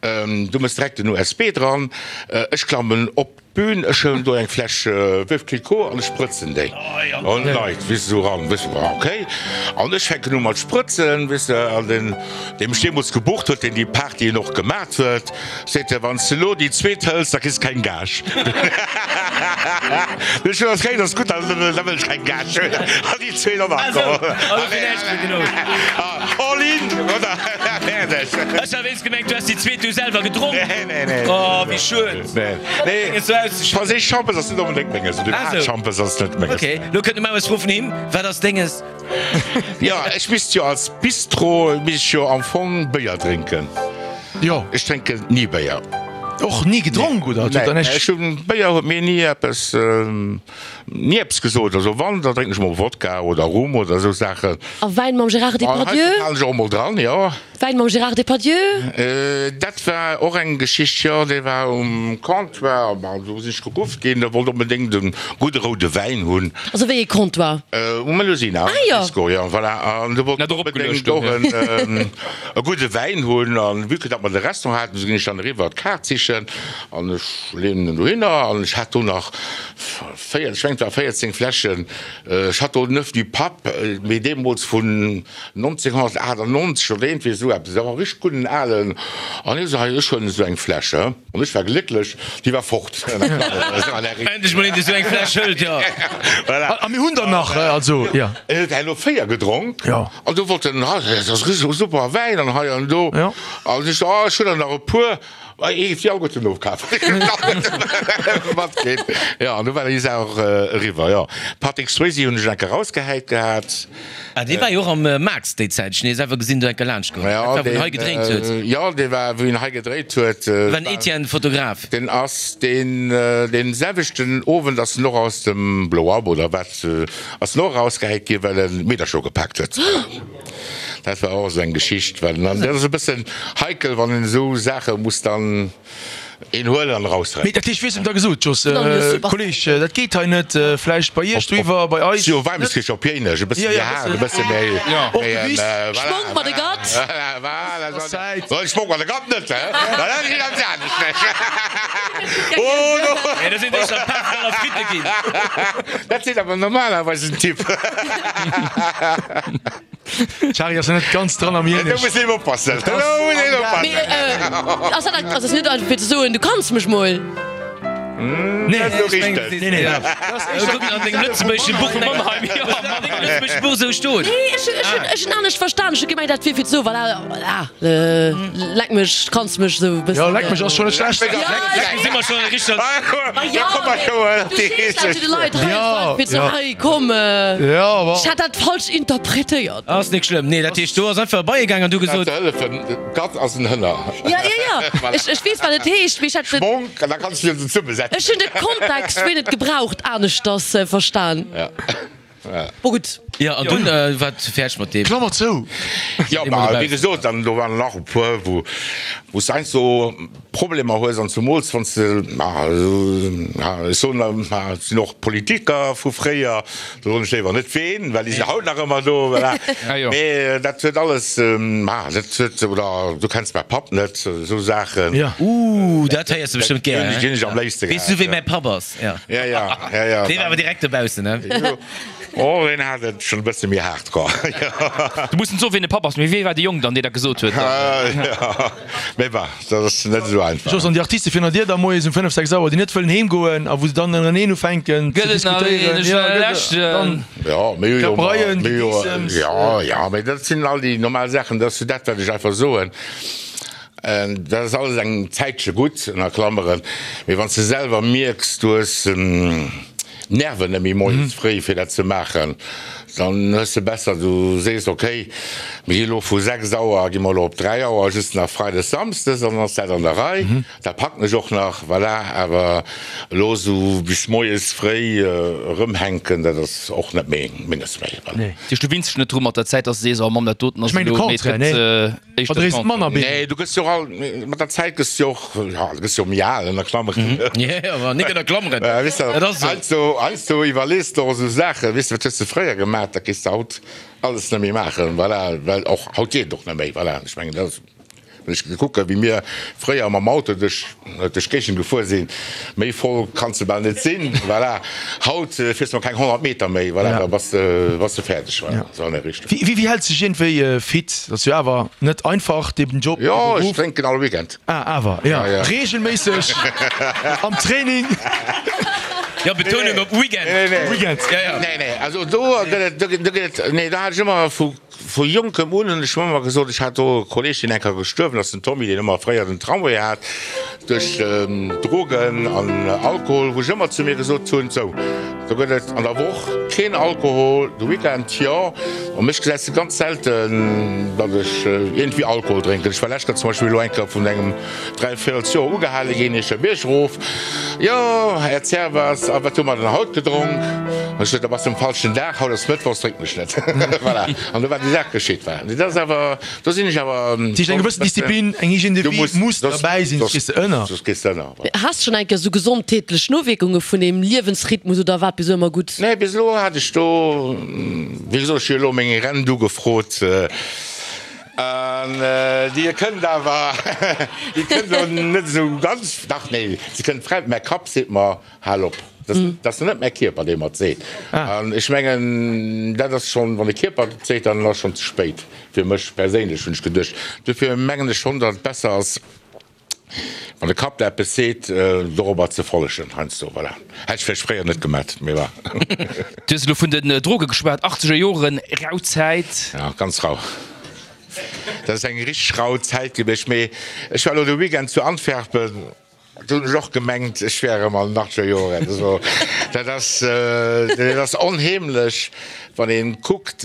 du mëss direkt den USB dran, ech klammen op D'Bühn, ech huelen do eng Fläsch Veuve Clicquot an ech sprëtzen déi an d'Leit, weess de, esou eran, weess de, ok. An ech fänken u mat sprëtzen, weess de, an deen, dee mech deemools gebucht huet, deen déi Partyen och gemat huet, seet, Wann s de elo déi zweet hëls, da kriss de keng Gage. Ech hunn ok, dat ass gutt, da wëll ech keng Gage hunn. An déi zweet och nach geholl. All in, oder? Fäerdeg. Ech hat wéinst gemengt, du häss déi zweet du selwer gedronk. Nee, nee, nee. Oh, wéi schued. Nee, nee. Franséisch Schampes ass net onbedéngt menges. Oder iwwerhaapt Schampes ass net menges. Ok, lo kënnt de Maus Fro vun him, Wat ass denges? Jo, ech misst jo als Bistro misst ech jo am Fong Béier drénken. Jo. Ech drénken ni Béier. Och ni gedronk, oder? Nee, ech hunn, Béier huet mir ni eppes, ni eppes gesot. Also wann, da drénken ech mol Wodka oder Rum oder esou Saachen. A Wäin mam Gérard Depardieu? An hei halen ech och mol dran, jo. Wäin mam Gérard Depardieu? Dat war och eng Geschicht, jo. Dee war um Comptoir, bon, do sinn ech geruff ginn, e wollt onbedéngt e gudde roude Wäin hunn. Also wéi ee Comptoir? Um Melusina, Ah jo. Disco, jo, voilà. An do wollt en onbedéngt och e gudde Wäin hunn. An vue que datt mer de Restaurant haten, sou ginn ech dann eriwwer d'Kaart sichen an ech leeën en dohinner an ech hat do nach 4, ech mengen et war 14 Fläschen Château Neuf du Pape, mee deemools vun 1998 oder iergendwéi esou eppes, dat war e richteg gudden alen, an hie sou, hei ech huelen esou eng Fläsch, he, an ech war glécklech, déi war fort. Endlech mol een dee sou eng Fläsch hëlt, jo. Voilà. A mir hunn der nach, also, jo. En huet herno 4 gedronk, Jo. an du wollt en, ah, dat ass richteg super Wäin an hei an do, Jo. an ech sou, ah, ech hunn der nach e puer. Hie géif déi alleguerten ofkafen. Matginn. Jo, an du war déi Saach och eriwwer, jo. Patrick Swayze hunn ech eng Kéier rausgehäit gehat. Ah, dee war jo och am Max déi Zäit. Ech hunn hie selwer gesinn, do eng Kéier laanscht goen. Dat war, wou en hei gedréint huet. Jo, dee war, wou en hei gedréit huet. Dat war den Etienne, Fotograf. Deen ass deen, deen selwechten Owend ass en och aus dem Blow Up oder wat, ass en och erausgehäit ginn, well en Meedercher ugepaakt huet. Dat war och esou eng Geschicht, well dann, dat ass e bëssen heikel, wann een esou Saache muss dann een huelen an Mee erausrennen. dat heescht, wéi hues de em da gesot, Jos, Kolleg, dat geet hei net, vläicht bei iech doiwwer, bei eis Jo, Weimeschkirch op Jéinesch, e bësse méi haart, e bësse méi, Och de Bis. Schmonk mat de Gatt. Voilà, Ass Zäit. voilà. Schmonk mat de Gatt net, hä? Dat ass ganz anescht. Oh no! Nee, dat sinn éischter Peffer a Fritte ginn. Dat seet awer normalerweis en Typ. D'Shari ass net ganz dran am Do Jenisch. muss een oppassen. Do muss een oppassen. Mee ass dat ass dat net einfach fir ze soen, du kanns mech mol? Nee, Dat ass elo richteg. nee, nee. Kucken an dengem lëtzebuergesche Buch vun Mannheim, jo, an dengem lëtzebuergesche Buch esou stoen. Nee, ech ech hunn ech hunn anescht verstan. Ech hu gemengt, dat wier fir ze soen, voilà, voilà, leck mech, kanns mech esou e bëssen. Jo, leck mech ass schonn net schlecht. Ja, Leck si mer schonn e richteg. Ma jo, mee du sees dat zu de Leit hei, ass einfach fir ze soen, hei, komm. Ech hat dat falsch interpretéiert. Ass nik schlëmm. Nee, dat heescht, do ass einfach e Beie gaang an du gesot. Ze hëllefen, Gatt ass en Hënner. Ja, ja, ja. Ech, ech weess, wat et heescht, mee ech hat den. Schmonk, an da kanns du se zesummesetzen. Ech hunn de Kontext, wéi en et gebraucht, aneschters verstan. Ja. Bon gutt. Jo, an dunn war et fäerdeg mat deem. Klammer zou. Jo, ma wéi gesot, dann do waren nach e puer, wou wou s de heiansdo Problemer hues an zumools wann s de, ma ech soen der, ma et sinn och Politiker vu fréier, do soen ech léiwer net ween, well déi sinn haut nach ëmmer do, voilà. Mee dat huet alles, ma dat huet, oder du kenns mäi Papp net, esou Saachen. Ooh, dat héiers de bestëmmt gär, Déi hunn ech am léifste gehat. Weess du, wéi mäi Papp ass? Ja, ja, ja, ja. Dee war awer direkt dobaussen, ne? Oh, deen hat et schonn e bësse méi haart, quoi. Du muss net soen, wien de Papp ass, mee wee war de Jong dann, dee dat gesot huet? Ja, mee bah, dat ass net esou einfach. Jos, an déi Artiste virun der Dier da moies um 5, 6 Auer, déi net wëllen heem goen a wou se dann ënnereneen ufänken ze Gëtt et nach een? diskutéieren. Ech Ja, war gëtt et leschten. dann Ja, mir hu jo Kläppereien, mir hu jo, Gedeessems. ja, ja, mee dat sinn all déi normal Saachen, dat ass jo dat, wat ech einfach soen. Dat ass alles eng Zäitche gutt, ënner Klammeren, mee wann s de selwer mierks, du hues d'Nerven net méi moies fréi fir dat ze maachen, dann hues de besser, du sees, okay, mir gi lo vu 6 Auer gi mer lo op 3 Auer, just nach Freides, Samsdes, an dann ass dat an der Rei. Dat packen ech och nach, voilà, awer elo esou bis moies fréi erëmhänken, dat ass och net méi menges méi, voilà. Dat heescht, du winns dech net dru mat der Zäit, dass de sees, oh Mamm, dat doten ass Ech mengen de elo, mee et Contraire, gëtt nee. éischter Oder is manner Contraire. Nee, du gëss jo och al, mat der Zäit gëss du jo och, ja, du gëss jo méi al, ënner Klammeren. Jo, awer nik ënner Klammeren, Weess de, dat ass esou. heiansdo, heiansdo iwwerlees de och esou Saachen, weess de, wat hues de fréier gemaach, dat géifs de haut alles net méi maachen, voilà, well och haut geet et och net méi, voilà. Ech mengen, dat ass. Wann ech kucken, wéi mir fréier mam Auto duerch d'Géigend gefuer sinn, méi voll kanns de bal net sinn, voilà. Haut fiers de mol keng 100 Meter méi, voilà, da bass de, bass de fäerdeg, voilà. Esou an der Richtung. Wéi, wéi häls de dech iergendwéi fit? Dat ass jo awer net einfach, deen Job, dee Jo, ech Beruff. drénken all Weekend. Ah, awer, jo. Reegelméisseg am Training. Jo, Betounung op Weekend. Nee, nee. Weekend. Ja, ja. Nee, nee, also do gëtt et, do gëtt et, nee, do hat ech ëmmer vu. Vu jonkem un hunn ech mer ëmmer gesot, ech hat do e Kolleg, deen eng Kéier gestuerwen ass, den Tommy, deen ëmmer fréier den Tramway hat, duerch Drogen an Alkohol, wou ech ëmmer zu mir gesot hunn, sou, do gëtt et an der Woch keen Alkohol, de Weekend jo. A mech gesäis de ganz selten, datt ech iergendwéi Alkohol drénken. Ech war lescht Kéier zum Beispill elo eng Kéier vun engem Dräivierelsjoer ugehale ginn, Eecher Bierg erof, Jo, Här Zerwas, a wat hu mer dann haut gedronk? Ech sot, Da bass de um falschen Dag, haut ass Mëttwochs, drénken ech net. Voilà, an do war déi Saach geschitt. War. Dat ass awer, do sinn ech awer. Dat heescht, eng gewëssen Disziplin, eng Hygiène de vie muss derbäi sinn, soss gees de ënner. Soss gees de ënner, voilà. Has schonn eng Kéier sou gesondheetlech Nowierkunge vun deem Liewensrhythmus oder war et bis elo ëmmer gutt? Nee, bis elo hat ech do, wéi gesot, ech hu elo meng Rent ugefrot. An déi kënnt awer, déi kënnt elo net esou ganz, dach, nee, se kënnt fräi, mäi Kapp seet mer, hal op. Dat ass net mäi Kierper, dee mer et seet. An ech mengen, dat ass schonn, wann de Kierper et seet, dann ass schonn ze spéit fir mech perséinlech, hunn ech geduecht. Dofir mengen ech schonn, datt et besser ass, Wann de Kapp der eppes seet, dorobber ze follegen heiansdo, voilà. Hätt ech vläicht fréier net gemat, mee bon. Du hues elo vun den Droge geschwat, achtzeger Joren, rau Zäit. Ja, ganz rau. Dat ass eng richteg rau Zäit gewiescht. Mee ech war elo de Weekend zu Antwerpen, do hunn ech och gemengt, ech wär erëm an den achtzeger Joren. Also dat ass, dat ass onheemlech, wann ee kuckt,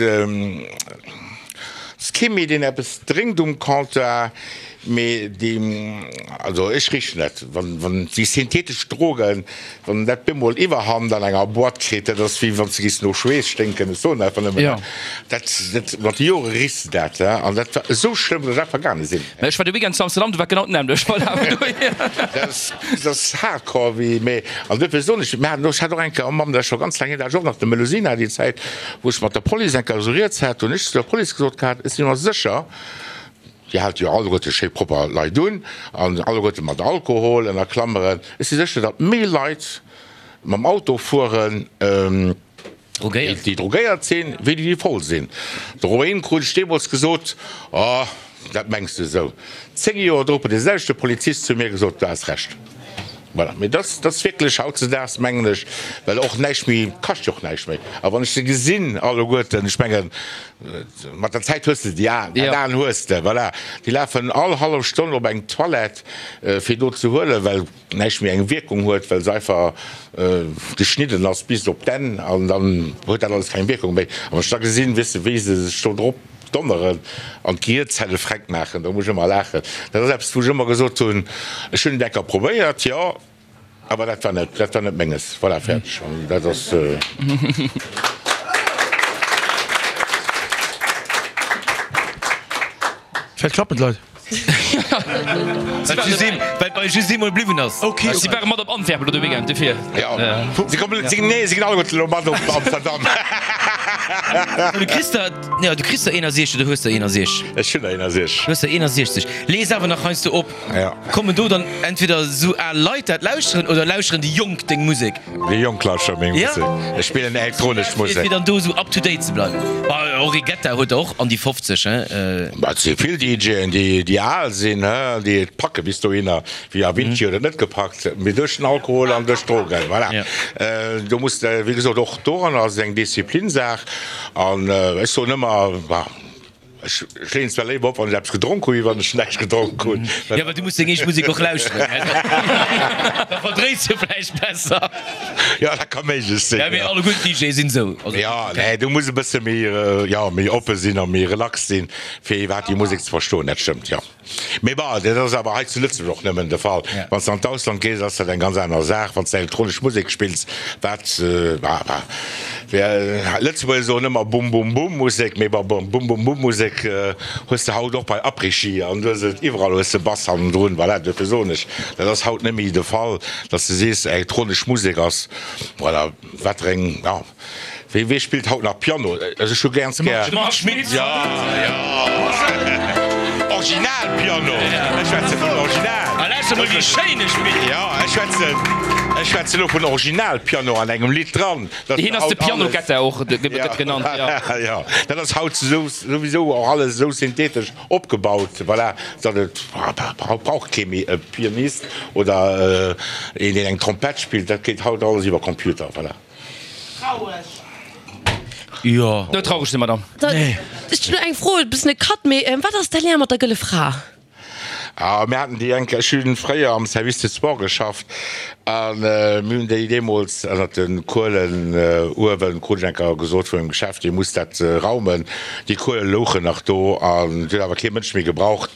ass kee méi, deen eppes drénkt um Comptoir. Mee déi, also ech richen et, wann, wann déi synthetesch Drogen, wann dat bemol Iwwerhand an enger Boîte kritt, dat ass wéi wann s de giss no Schweess sténken, ech soen einfach nëmmen dat, dat, dat, mat de Jore richs de dat, he, an dat war esou schlëmm, datt ech einfach gaange sinn. Mä ech war de Weekend zu Amsterdam, do war genau d'nämmlecht. Voilà, vun dohier. Dat ass, dat ass hardcore wéi, mee, an duerfir soen ech, mir haten, ech hat och eng Kéier, oh Mamm, dat ass scho ganz laang hier, dat hat ech och nach de Melusina déi Zäit, wou ech mat der Police eng Kéier esou rieds hat, hunn ech zu der Police gesot gehat, ech si mer sécher, Déi haalt jo alleguerte schéi propper Leit un, an alleguerte mat Alkohol, ënner Klammeren. Ech si sécher, datt méi Leit mam Auto fueren, déi drogéiert sinn, wéi déi, déi voll sinn. Dorobberhin krut ech deemools gesot, Oh, dat mengs de esou. 10 Joer drop huet dee selwechte Polizist zu mir gesot, Du has Recht. Voilà. Mee dat ass wierklech hautzedaags, mengen ech, well och näischt méi, kascht jo och näischt méi. A wann ech se gesinn alleguerten, ech mengen, mat der Zäit hues de déi Aen, dat Aen hues de, voilà. Déi lafen all hallef Stonn op eng Toilette, fir do ze huelen, well näischt méi eng Wierkung huet, well se einfach geschnidden ass bis op d'Enn an dann huet dat alles keng Wierkung méi. A wann ech da gesinn, weess de, wéi se sech do drop donneren an d'Gehierzelle freck maachen, do muss ech ëmmer laachen. Dat ass eppes, wou ech ëmmer gesot hunn, ech hunn et eng Kéier probéiert, jo, awer dat war net, dat war net Menges. Voilà, fäerdeg. An dat ass. Vläicht klappen d'Leit. Well just eem, well bei just eemol bliwwen ass. Ok. Si ware mat op Antwerpen elo de Weekend, dofir. Jo, si kommen, si, nee, si ginn alleguerten elo mat op Amsterdam. Du kriss der, jo, du kriss der 61 oder hues der 61? Ech hunn der 61. Du hues der 61. Lees awer nach heiansdo op. Ja. Kommen do dann entweder esou al Leit dat lauschteren oder lauschteren déi Jonk deng Musek? Déi Jonk lauschtere meng Ja. Musek. Ech spillen elektronesch Musek. Fir dann do esou up to date ze bleiwen. Bah, Henri Guetta huet der och an déi 50, hein. Bah, et si vill DJen, déi, déi al sinn, hein, déi et packe bis dohinner. Wéi Avicii huet et net gepackt, mee duerch den Alkohol an duerch d'Drogen. Voilà. Ja. Do muss de, wéi gesot, och doranner ass et eng Disziplinsaach. An ech soen ëmmer, bah, Ech leeën zwar léiwer op wann ech eppes gedronk hunn, wéi wann ech näischt gedronk hunn. Jo, well du muss deng eege Musek och lauschteren. Da verdréis de vläicht besser. Jo, dat ka méiglech sinn. Ja, mee alleguer d'DJe sinn esou. Jo, nee, du muss e bësse méi, jo, méi oppe sinn a méi relax sinn, fir iwwerhaapt déi Musek ze verstoen. Dat stëmmt, jo. Mee bon, dat ass awer hei zu Lëtzebuerg och nëmmen de Fall. Wann s de an d'Ausland gees, ass dat eng ganz aner Saach. Wann s de elektronesch Musek spills, wat, bah, Lëtzebuerger soen ëmmer Bum-Bum-Bum-Musek, mee bon, Bum-Bum-Bum-Musek hues de haut och bei Après-Ski an du hues et iwwerall, hues de Bass hannendrun. Voilà, duerfir soen ech, dat ass haut net méi de Fall, datt s de sees, elektronesch Musek ass, voilà, wat fir eng, ja. Wee wee spillt haut nach Piano? Also ech hu ganz gär. De Marc Schmitz. Ja, ja. Original Piano. Ech schwätze vun Original. A lauschter mol wéi schéin e spillt. Ja, ech schwätzen, ech schwätze lo vun Original Piano an engem Lidd dran. Dat Hien ass de haut alles. Piano-Getter och, gëtt genannt, ja. Ja, dat ass haut sou souwisou och alles esou synthetesch opgebaut, voilà, datt et haut brauch kee méi e Pianist oder een deen eng Trompett spillt, dat geet haut alles iwwer Computer, voilà. Traureg. Jo. Net traureg sinn, Madame. Ech hunn eng Fro, e bëssen e Cut, mee wat ass däi Lien mat der Gëlle Fra? Ah, mir haten déi eng Kéier, ech hunn fréier am Service des Sports geschafft a mir hunn déi deemools ënnert de Kuelen uewen, krut ech eng Kéier gesot vun engem Geschäft, dir musst dat raumen. Déi Kuele louchen nach do an et huet awer kee Mënsch méi gebraucht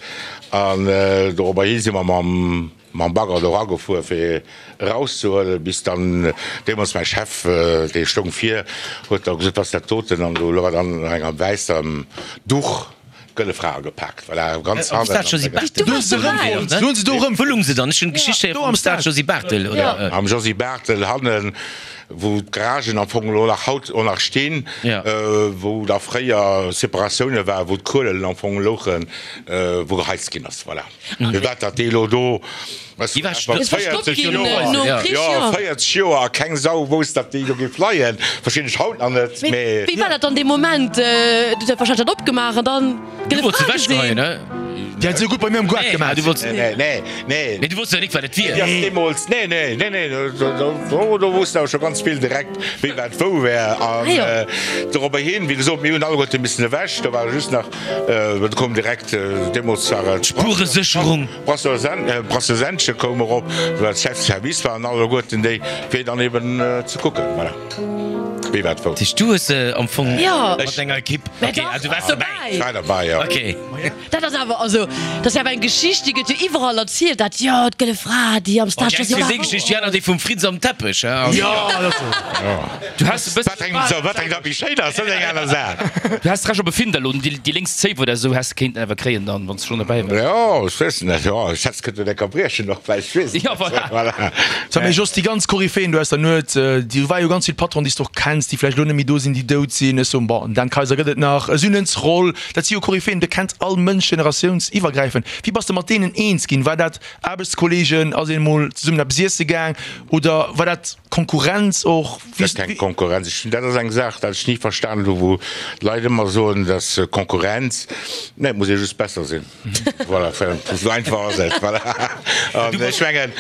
an dorobber hi si mer mam. Mam Bagger do eragefuer fir erauszehuelen, bis dann deemools mäi Chef, dee stoung vir, huet da gesot, wat ass dat doten? An do war dann an enger wäissem Duch d'Gëlle Fra agepaakt, voilà, ganz Am hannen. Stade Josy Barthel. Do hu se erëmfonnt, do hu se do erëmfonnt. Wou lung se dann? Ech hunn d'Geschicht héiere vum Stade Josy Barthel, oder? Am Josy Barthel hannen, wou d'Garagen am Fong elo nach haut och nach stinn, wou da fréier Separatioune waren, wou d'Kuelen am Fong louchen, wou geheizt ginn ass, voilà. Firwat dat déi elo do, Déi war 40 Joer, jo 40 Joer a keng Sau wousst dat déi do géif leien, verstinn ech haut nach net, mee. Wéi war dat dann dee Moment? Du hues warscheinlech dat opgemaach an dann Du wolls se ewechgeheien, ne? Déi hat esou gutt bei mir am Goart gemaach. Nee, nee, nee. Mee du wosst jo nik wat et wier. Déi ass deemools, nee, nee, nee, nee, do woussten awer scho ganz vill direkt wéi wat wou wär an dorobber hin, wéi gesot, mir hunn alleguerte missen ewech, do ware just nach Et koum direkt, deemools war et Spueresécherung. Brasseur Sennchen koum erop, well Chef Service waren alleguerten déi, fir dann eben ze kucken, voilà, wéi wat wou. Dat heescht, du hues se am Fong mat denger Ekipp, ok, ah, du waars derbäi. Ech war derbäi, jo. Ok. Dat ass awer, also, dat ass awer eng Geschicht, déi gëtt jo iwwerall erzielt, dat, jo, d'Gëlle Fra, déi am Stade Déi eng Josy déi Geschicht, déi aner déi vum Fritz am Teppech, hein. Jo, dat ass esou. Du has e bëssen. Wat eng, wat eng dat méi schéin ass, dat ass eng aner Saach. Du has Recht op e Findel un déi lénks Zéif oder esou häss de kéinten awer kréien dann, wann s de schonn derbäi waars. Jo, ech weess net, jo, ech hätt kënnen enker briechen och vläicht, ech weess et Jo, net. voilà. Voilà. Sag mee Jos, déi ganz Koryphäen do aus der Nuet, do war jo ganz vill Patron, déi s de och kenns, déi vläicht elo net méi do sinn, déi dout sinn. Ech soen, bon, den Dan Kayser gëtt et nach, e Synens Roll, dat si jo Koryphäen, do kennt all Mënsch generatiounsiwwergräifend. Wéi bass de mat deenen eens ginn? War dat Aarbechtskollegen, ass een emol zesummen eppes iesse gaang oder war dat Konkurrenz och? Dat ass keng Konkurrenz. Ech, dat ass eng Saach, dat ech ni verstanen hu, wou d'Leit ëmmer soen, dat ass Konkurrenz. Nee, et muss ee just besser sinn. Voilà, esou einfach ass et. Voilà. An ech mengen,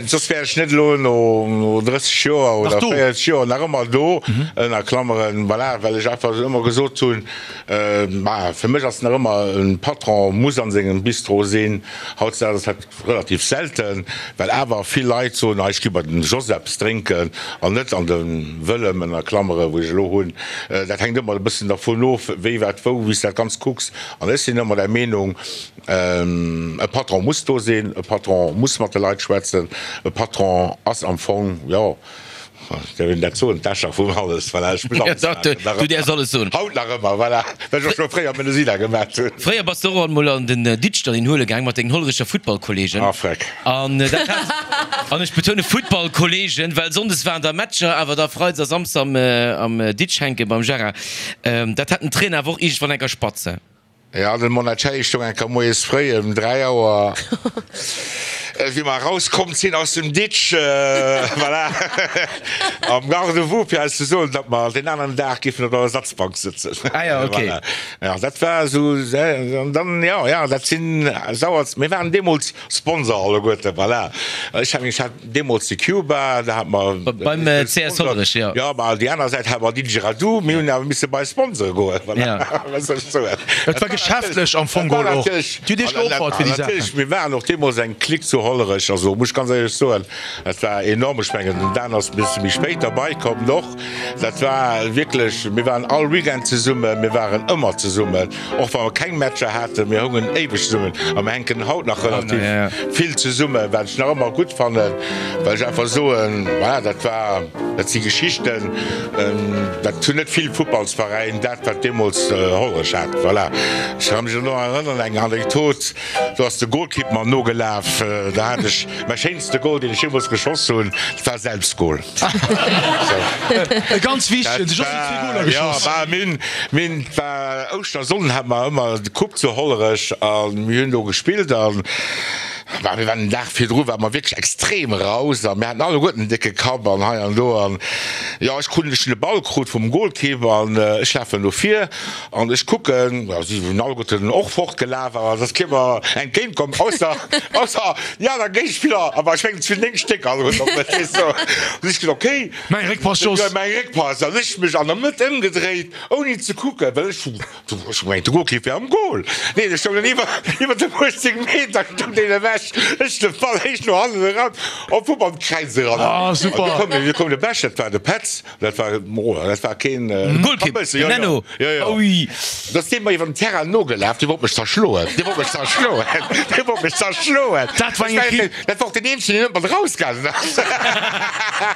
soss wär ech net elo no 30 Joer oder 40 Joer nach ëmmer do, ënner Klammeren, voilà, well ech einfach ëmmer gesot hunn, ma fir mech ass nach ëmmer, e Patron muss an sengem Bistro sinn. Hautdesdaags ass dat Relativ selten, well awer vill Leit soen, ah ech gi bei den Jos eppes drénken an net an de Wëllem, ënner Klammere, wou ech elo hunn. Dat hänkt ëmmer e bëssen dervun of, wéi, wat, wou, wéi s de dat Ganzt kucks. An ech sinn ëmmer der Meenung, e Patron muss do sinn, e Patron muss mat de Leit schwätzen, e Patron ass am Fong, jo. Däerf een dat soen, d'Äscher vum alles, voilà, ech muss alles maachen, nach Du däerfs alles soen. Haut nach ëmmer, voilà, wat ech och scho fréier am Melusina gemaat hunn. Fréier bass de och emol an den Ditsch dann een huele gaang mat dengen Hollerecher Futtballkollegen. Ah, freck. An dat hat, an ech betounen Futtballkollegen, well sonndes waren da Matcher, awer da freides a samsdes am, am Ditsch hänke beim Gérard. Dat hat den Trainer awer och iergendwann enker spatz. Jo, den Monachelli stoung eng Kéier moies fréi ëm 3 Auer, wéi mer erauskomm sinn aus dem Ditsch, voilà, am Garde-vous, fir eis ze soen, datt mer deen aneren Dag géifen op der Ersatzbank sëtzen. Ah jo, ok. Voilà. Jo, dat war esou, an dann, jo, jo, dat sinn sauer, mir waren deemools Sponsor alleguerten, voilà. Ech hat, ech hat deemools de Cuba, da hat mer. Beim CS Hollerech, jo. Jo, ma déi aner Säit hat mer Didgeradoo, mir hunn awer misse bei Sponsore goen, voilà. Ja. Wat soll ech soen? Et war geschäftlech am Fong geholl och. Dir hutt Iech geopfert fir déi Saachen. Natierlech, mir waren och deemools eng Clique zu Hollerech, also muss ech ganz éierlech soen, dat war enorm. Ech mengen, den Dan ass e bësse méi spéit derbei komm och. Dat war wierklech, mir waren all Weekend zesummen, mir waren ëmmer zesummen. Och wa mer keng Matcher haten, mir houngen éiweg zesummen a mir hänken haut nach relativ vill zesummen, wat ech nach ëmmer gutt fannen, well ech einfach soen, voilà, dat war, dat si Geschichten, dat hunn net vill Futtballsveräin, dat wat deemools Hollerech hat. Voilà. Ech ka mech elo nach erënneren, eng Anekdot, do ass de Golkipp mer nogelaf, da hat ech mäi schéinste Gol, deen ech jeemools geschoss hunn, dat war e Selbstgol. E ganz wichtegen, de Jos huet zwee Goler geschoss. Jo, bah, mir, et war Ouschtersonnden, hate mer ëmmer de Coupe zu Hollerech a mir hunn do gespillt an, bah, mir waren den Dag virdru ware mer wierklech extrem raus a mir haten alleguerten en décke Kapp an hei an do an, jo, ech krut, ech hunn de Ball krut vum Golkipp an ech lafen no vir An ech kucken, jo, si hunn alleguerten och fortgelaf, awer et ass kee mer entgéint komm, ausser, ausser déi aner Géigespiller, awer ech mengen, et sinn 9 Stéck alleguerten op mech, weess de. An ech gesot, okay. Mäi Réckpass, Jos. Mäi Réckpass. An ech mech an der Mëtt ëmgedréit, ouni ze kucken, well ech hu, ech hu gemengt, de Golkipp wär am Gol. Nee, dee stoung dann iwwer, iwwer dem 18 Meter stoung deen ewech. Ech de Ball héich no hannen eran, op wupp an d'Kräiz eran. Ah, super. An du koum, du koum de Bescht, dat war de Petz. Dat war, oh, dat war keen Golkipp, den Nenno. Jo, jo. Ui. Dat ass dee mer iwwer den Terrain nogelaf, dee wollt mech zerschloen. Dee wollt mech zerschloen. Dee wollt mech zerschloen. Dat war eng Equipe. Dat war och deen eenzegen, deen net mat erausgaangen ass.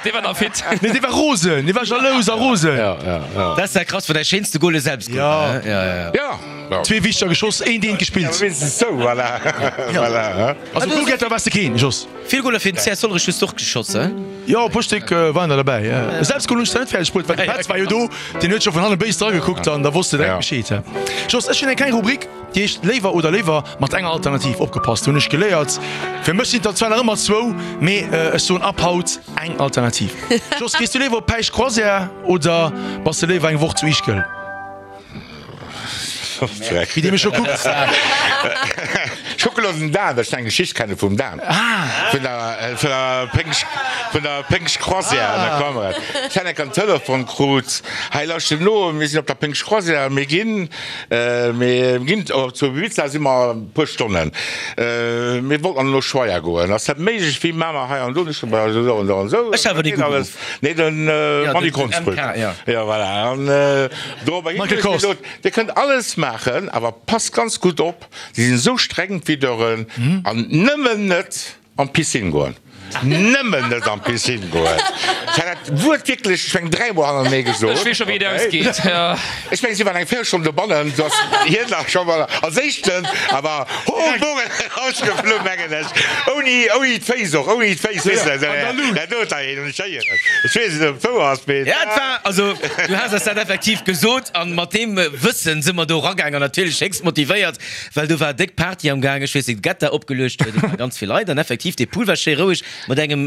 Dee war nach fit. Nee, dee war rosen. Dee war jalous a rosen. Ja, ja, ja. Dat ass ja krass, war däi schéinste Gol e Selbstgol war, Ja. hä? Ja, ja. Ja, ja. Zwee wichteger geschoss, een deen gespillt. Ja, wéinstens sou, voilà. Voilà, hä? Also Goalgetter waars de keen, Jos. Vill Goler fir den CS Hollerech hues de och geschoss, hä? Jo, e puer Stéck waren der derbäi. E Selbstgol hunn ech zwar net fäerdeg bruet, well de Petz war jo do, deen huet scho vun hanne béis dragekuckt an da wosst de direkt Bescheed. Jos, ech hunn eng kleng Rubrik, déi heescht Léiwer oder léiwer mat enger Alternativ. Opgepasst, hunn ech geléiert. Fir mech sinn et der zwar nach ëmmer zwou, mee ech soen ab haut eng Alternativ. Jos, gees du léiwer op Päischt Croisière oder bass de léiwer eng Woch zu Ischgl? Wéi dee mech scho kuckt. Ech kucke lo den Dan, well ech eng Geschicht kenne vum Dan. Vun der, vun der Péngscht, vun der Péngscht-Croisière an der Kamera. Ech hat enk en Telefon krut, Hei lauschtert no, mir sinn op der Péngscht-Croisière, mir ginn, mir ginn zu Ibiza si mer e puer Stonnen. Mir wollten an den Ushuaia goen. Ass dat méiglech? Wéi maache mer hei an do? Ech so, ma esou an esou an esou. Ech hat awer dee Geet alles. Nee, den Manny Konsbrück. Jo, voilà. An dorobber hin hunn ech gesot, Dir kënnt alles maachen, awer passt ganz gutt op, si sinn esou streng, d'Videuren, an nëmmen net an d'Piscine goen. Nëmmen net an d'Piscine goen. Ech hat dat Wuert wierklech, ech mengen, dräimol hannertenee gesot. Ech weess scho, wéi et ausgeet. Ech mengen, si waren eng Véierelstonn dobannen, du ass hien nach scho mol als éischten, awer ho, Bogen erausgeflu, mengen ech, ouni, ouni d'Féiss och, ouni d'Féiss, weess de, dat huet da een. Ech weess net, ob et wouer ass, mee. Ja, et war, also du has eis dat effektiv gesot an mat deem Wëssen si mer do eragaang an natierlech héchst motivéiert, well do war déck Party am Gaang, ech weess net, Getta opgeluecht huet, et ware ganz vill Leit an effektiv dee Pool war schéi roueg mat engem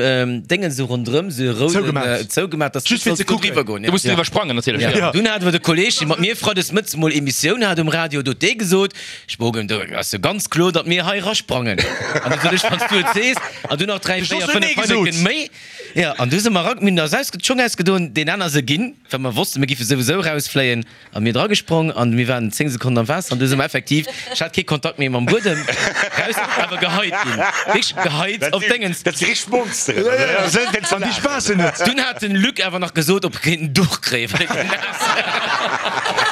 Déngen esou ronderëm, esou e rouden, zougemaach, dass Just fir ze kucken. driwwer goen. Du muss driwwer sprangen natierlech. Ja. Dunn hate mer de Kolleg, dee mat mir freides mëttes mol Emissioun hat um Radio, do huet dee gesot, Spogen, do ass jo ganz kloer, datt mir hei erasprangen. An du sot ech, wann s du et sees, an dunn nach 3, 4, 5 Heineken méi. Jo, an du si mer era, mir hunn eis ausge, d'Schong ausgedoen, deen aner se ginn, well mer wossten, mir giffe souwisou erausfléien, a mir dragesprongen an mir waren 10 Sekonnen am Waasser an du si mer effektiv, ech hat kee Kontakt méi mam Buedem, raus, awer geheit ginn, wierklech geheit op Déngens. Dat si richteg Monsteren, oder? An déi spaassen net. Dunn hat den Luc awer nach gesot, ob e kéint en Duch kréien, well e naass war.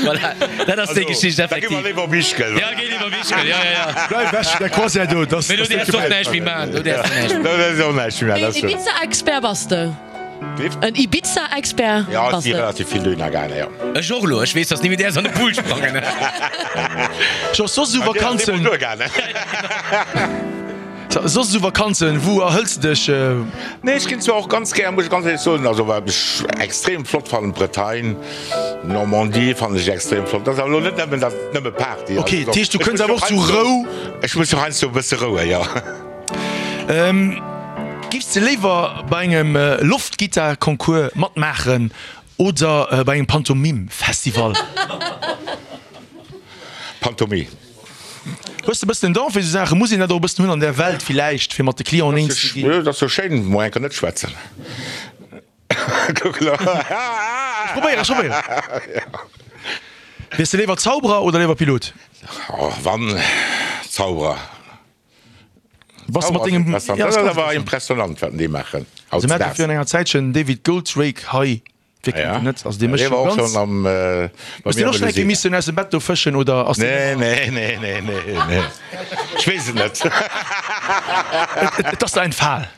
Voilà, dat ass déi Geschicht Da gi mer effektiv. léiwer op Ischgl. Ja, géi léiwer op Ischgl, ja, ja, ja. Bleif ewech vun der Croisière do, dass Mee do dass däerfs net och gefält. näischt méi maachen, do däerfs de näischt méi Do däerfs de och näischt méi maachen, dat Mee stimmt. Ibiza-Expert bass de? En Ibiza-Expert Jo, ech bass si de. relativ vill dohinner gaangen, jo. Ech och elo. Ech weess, dass ni méi däers an de Pool sprangen. Jos, soss esou An dir ass Vakanzen. eemol duergaangen. Soss esou Vakanzen, wou erhëls de dech? Nee, ech ginn zwar och ganz gär, muss ech ganz éierlech soen, also wat ech extrem flott fannen, d'Bretagne, d'Normandie fannen ech extrem flott. Dat ass awer elo net nëmmen, dat nëmme Party ass. Ok, dat heescht du kënns awer och zu Rou? Ech muss och heiansdo e bësse rouen, jo. Giffs de léiwer bei engem Loftgittar-Concours matmaachen oder bei engem Pantomime-Festival? Pantomime. Hues de bëssen en Don fir esou Saachen? Muss een dat och e bëssen hunn an där Welt villäicht, fir mat de Clienten eens ze ginn? Dat ass jo schéin, mol enker net schwätzen. Kuck elo. Ech probéieren, ech probéieren. Wiers de léiwer Zauberer oder léiwer Pilot? Oh, wann Zauberer. Bass de mat dengem. Dat ass awer impressionant, wat déi maachen. Also mir hate virun enger Zäitchen den David Goldrake hei. Wie kennt en net? Also dee mécht jo ganz. Hues de och schonn eng Kéier missen aus dem Bett do fëschen oder ass deen. Nee, nee, nee, nee, nee. Ech weess et net. Et ass der entfal.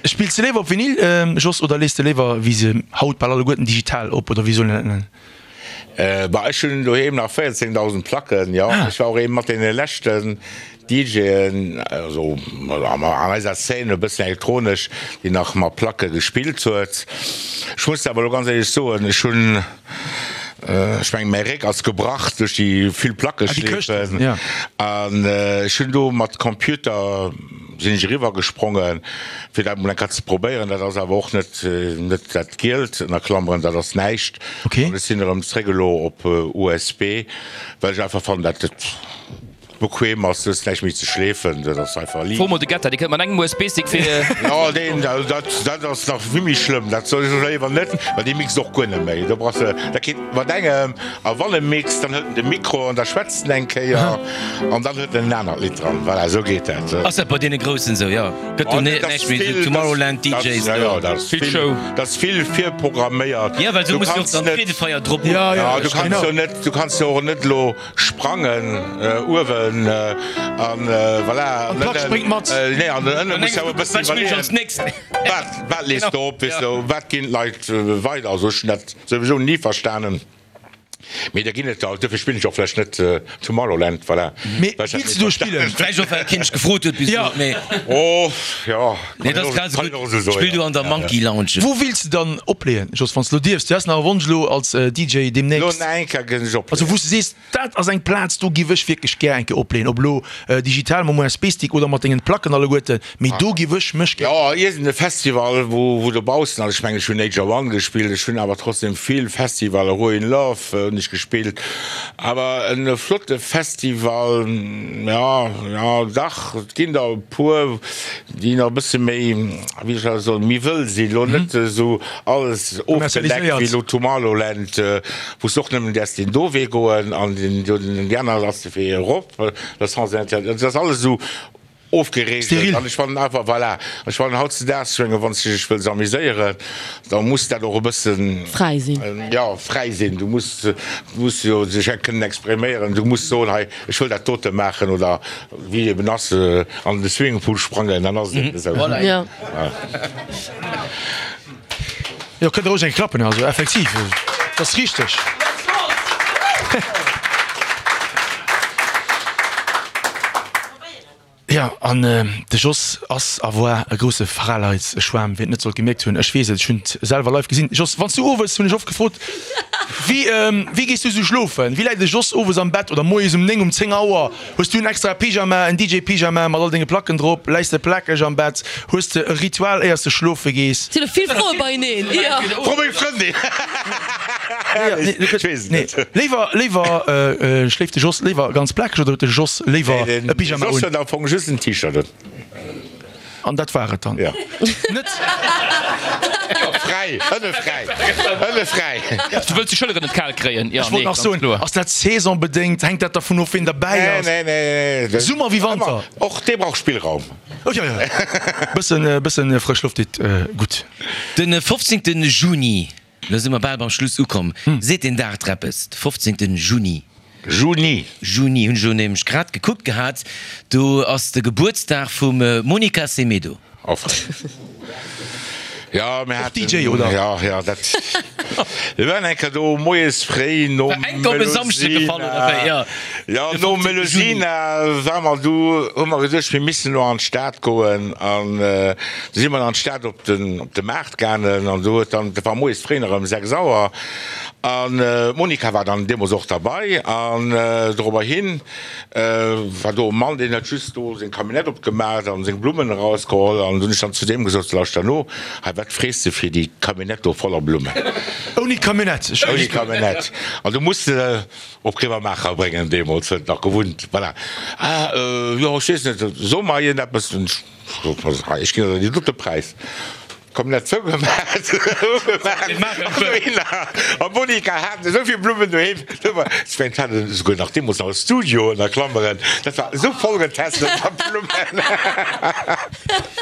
Spills de léiwer op Vinyl, Jos, oder lees de léiwer, wéi se haut bal alleguerten, digital op, oder wéi soll een dat nennen? Bah, ech hunn doheem nach 14.000 Placken, jo. Ech war och ee mat deene leschten DJen, also an eiser Szene, e bëssen elektronesch, déi nach mat Placke gespillt huet. Ech muss awer elo ganz éierlech soen, ech hunn, ech mengen, mäi Réck ass gebrach duerch déi vill Plackeschleefen. An ech hunn do mat Computer sinn ech eriwwer gesprongen, fir dat mol eng Kéier ze probéieren. Dat ass awer och net, net dat Gielt, ënner Klammeren, dat ass näischt. An ech sinn erëm zréck elo op USB, well ech einfach fannen, dat et bequem ass, du hues näischt méi ze schleefen, dat ass einfach liicht. Fro mol de Getter, dee kënnt mat engem USB-Stick fir. Jo, deen, also dat, dat ass nach vill méi schlëmm, dat soll ech léiwer net, well dee mixt och guer net méi. Do brauchs de, dat geet mat engem, a wann e mixt, dann hëlt en de Mikro an da schwätzt en eng Kéier an dann huet en en anert Lidd dran. Voilà, esou geet dat. Ass dat bei deene Groussen esou? Jo, gëtt do näischt méi esou Tomorrowland DJs do. Jo, dat ass Vill Show. Dat ass vill virprogramméiert. Jo, well esou muss jo och dann d'Freedefeier drop. Jo, du kanns jo net, du kanns jo och net elo sprangen uewen an voilà. An d'Plack spréngt mat. Nee, an ënne muss jo e bëssen Wat spillen ech als nächst? Wat, wat lees de op, weess de, wat ginn d'Leit weider? Also ech hunn dat souwisou ni verstanen. Mee da ginn et der, duerfir spillen ech och vläicht net Tomorrowland, voilà. Mee wills de do spillen? Vläicht och well keen dech gefrot huet bis elo, mee. Oh, jo, Nee, dat ass grad esou gutt. Spill du an der Monkey Lounge. Wou wills de dann opleeën, Jos, wann s de elo dierfs? Du häss nach e Wonsch elo als DJ Elo deemnächst. nach eng Kéier ginn ech opleeën. Also wou s de sees, dat ass eng Plaz, do giff ech wierklech gär eng Kéier opleeën, ob elo digital mam USB-Stick oder mat dengen Placken alleguerten, mee do giff ech mech gär. Jo, iergend e Festival, wou wou dobaussen ass. Ech mengen, ech hunn Nature One gespillt, ech hunn awer trotzdem vill Festivaler, Ruin Love hunn ech gespillt. Awer e flotte Festival, jo, jo, dach, et ginn der e puer, déi nach e bësse méi, wéi soll ech soen, méi wëll sinn, elo net esou alles ofgedeckt wéi elo Tomorrowland, wou s de och nëmmen däerfs deen do Wee goen an deen do, déi aner ass de Wee erop, dat ass alles esou Ofgereegelt an ech fannen awer, voilà, ech fannen hautzedaags, ech menge wann s de dech wëlls amuséieren, da muss dat och e bëssen Fräi sinn. Jo, fräi sinn. Du muss, du muss jo dech och kënnen expriméieren. Du muss soen, hei ech wëll dat dote maachen oder wéi eben ass, an de Swimmingpool sprangen, dann ass et eben esou. Voilà. Jo. Jo, kënnt der roueg eng klappen, also effektiv, dat ass richteg. Jo, an de Jos ass a woar e grousse Fraleitsschwaarm, wien et net sollt gemierkt hunn. Ech weess et, ech hunn et selwer live gesinn. Jos, wann s du owes, hunn ech oft gefrot, wéi, wéi gees du sou schlofen? Wéi läit de Jos owes am Bett oder moies um 9, um 10 Auer? Hues du en extra Pyjama, en DJ-Pyjama mat all denge Placken drop? Läis de plakeg am Bett? Hues de e Ritual éiers de schlofe gees? Sinn elo vill Froe beieneen, jo. Fro meng Frëndin! Ech weess et net. Léiwer, léiwer schléift de Jos léiwer ganz plakeg oder huet de Jos léiwer e Pyjama un? De Jos huet am Fong just en T-Shirt un. An dat war et dann? Jo. Net? Jo, fräi, ënne fräi, ënne fräi. Du wëlls déi Schëlleren net kal kréien? Jo, Ech wollt nee, nach ganz soen, kloer. ass dat saisonbedéngt? Hänkt dat dervun of, ween derbäi Nee, ass? nee, nee, nee. Summer wéi Wanter? Och dee brauch Spillraum. Oh jo, jo. Bëssen, bëssen frësch Loft deet gutt. De 15. Juni, lo si mer bal beim Schluss ukomm. Seet deen Dag der eppes? De 15. Juni. Juni. Juni, hunn ech elo nämlech grad gekuckt gehat, do ass de Gebuertsdag vum Monica Semedo. Offreng. Ja, mir haten. DJ, oder? Ja, ja, dat. Mir waren eng Kéier do moies fréi nom War enk op e Samschde gefall, oder wéi? Ja. Ja, nom Melusina war mer du, hu mer geduecht, mir missten elo an d'Stad goen. An du si mer an d'Stad op den, op de Maart gaangen. An do huet dann, dat war moies fréi nach ëm 6 Auer. An d'Monica war dann deemools och derbei. An dorobber hin War do e Mann, deen huet just do seng Camionnette opgemaach an seng Blummen erausgeholl. An hunn ech dann zu deem gesot, Lauschter no, hei, wat frees de fir déi Camionnette do voller Blummen? Ouni Camionnette. Ouni Camionnette. An du muss se op Grevermaacher bréngen, deemools huet en nach gewunnt. Voilà. Ah, jo, ech weess net, so mer iergendeppes. Ech ginn der déi dote Präis. Komplett zougemaat, a Monica haten esou vill Blummen doheem, ech mengen haten esouguer nach deemools nach e Studio ënner Klammeren, dat war esou voll getesselt mat Blummen.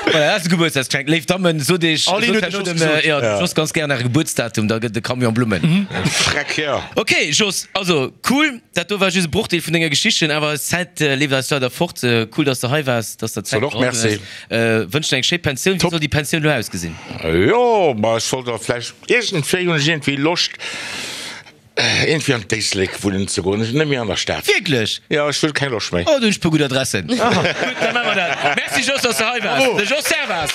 Voilà, dat ass e Gebuertsdagsgeschenk. Léif Dammen, sot iech, sot herno dem, jo, dem Jos ganz gären äre Gebuertsdatum, da gëtt et e Camion Blummen. Freck, jo. Ok, Jos, also cool, dat do war just e Brochdeel vun denger Geschichten, awer eis Zäit leeft eis leider fort. Cool, dass de hei waars, dass der Zäit Soll och geholl hues. Merci. Wënschen eng schéi Pensioun. Wéi soll déi Pensioun elo ausgesinn? Jo, ma ech wollt awer vläicht, iergendwéi hunn ech iergendwéi Loscht, iergendwéi an d'Éislek wunnen ze goen, net méi an der Stad. Wierklech? Jo, ech wëll keng Loscht méi. Oh, do hunn ech e puer gutt Adressen. Gutt, da maache mer dat. Merci Jos, dass de hei waars. De Jos Servaz.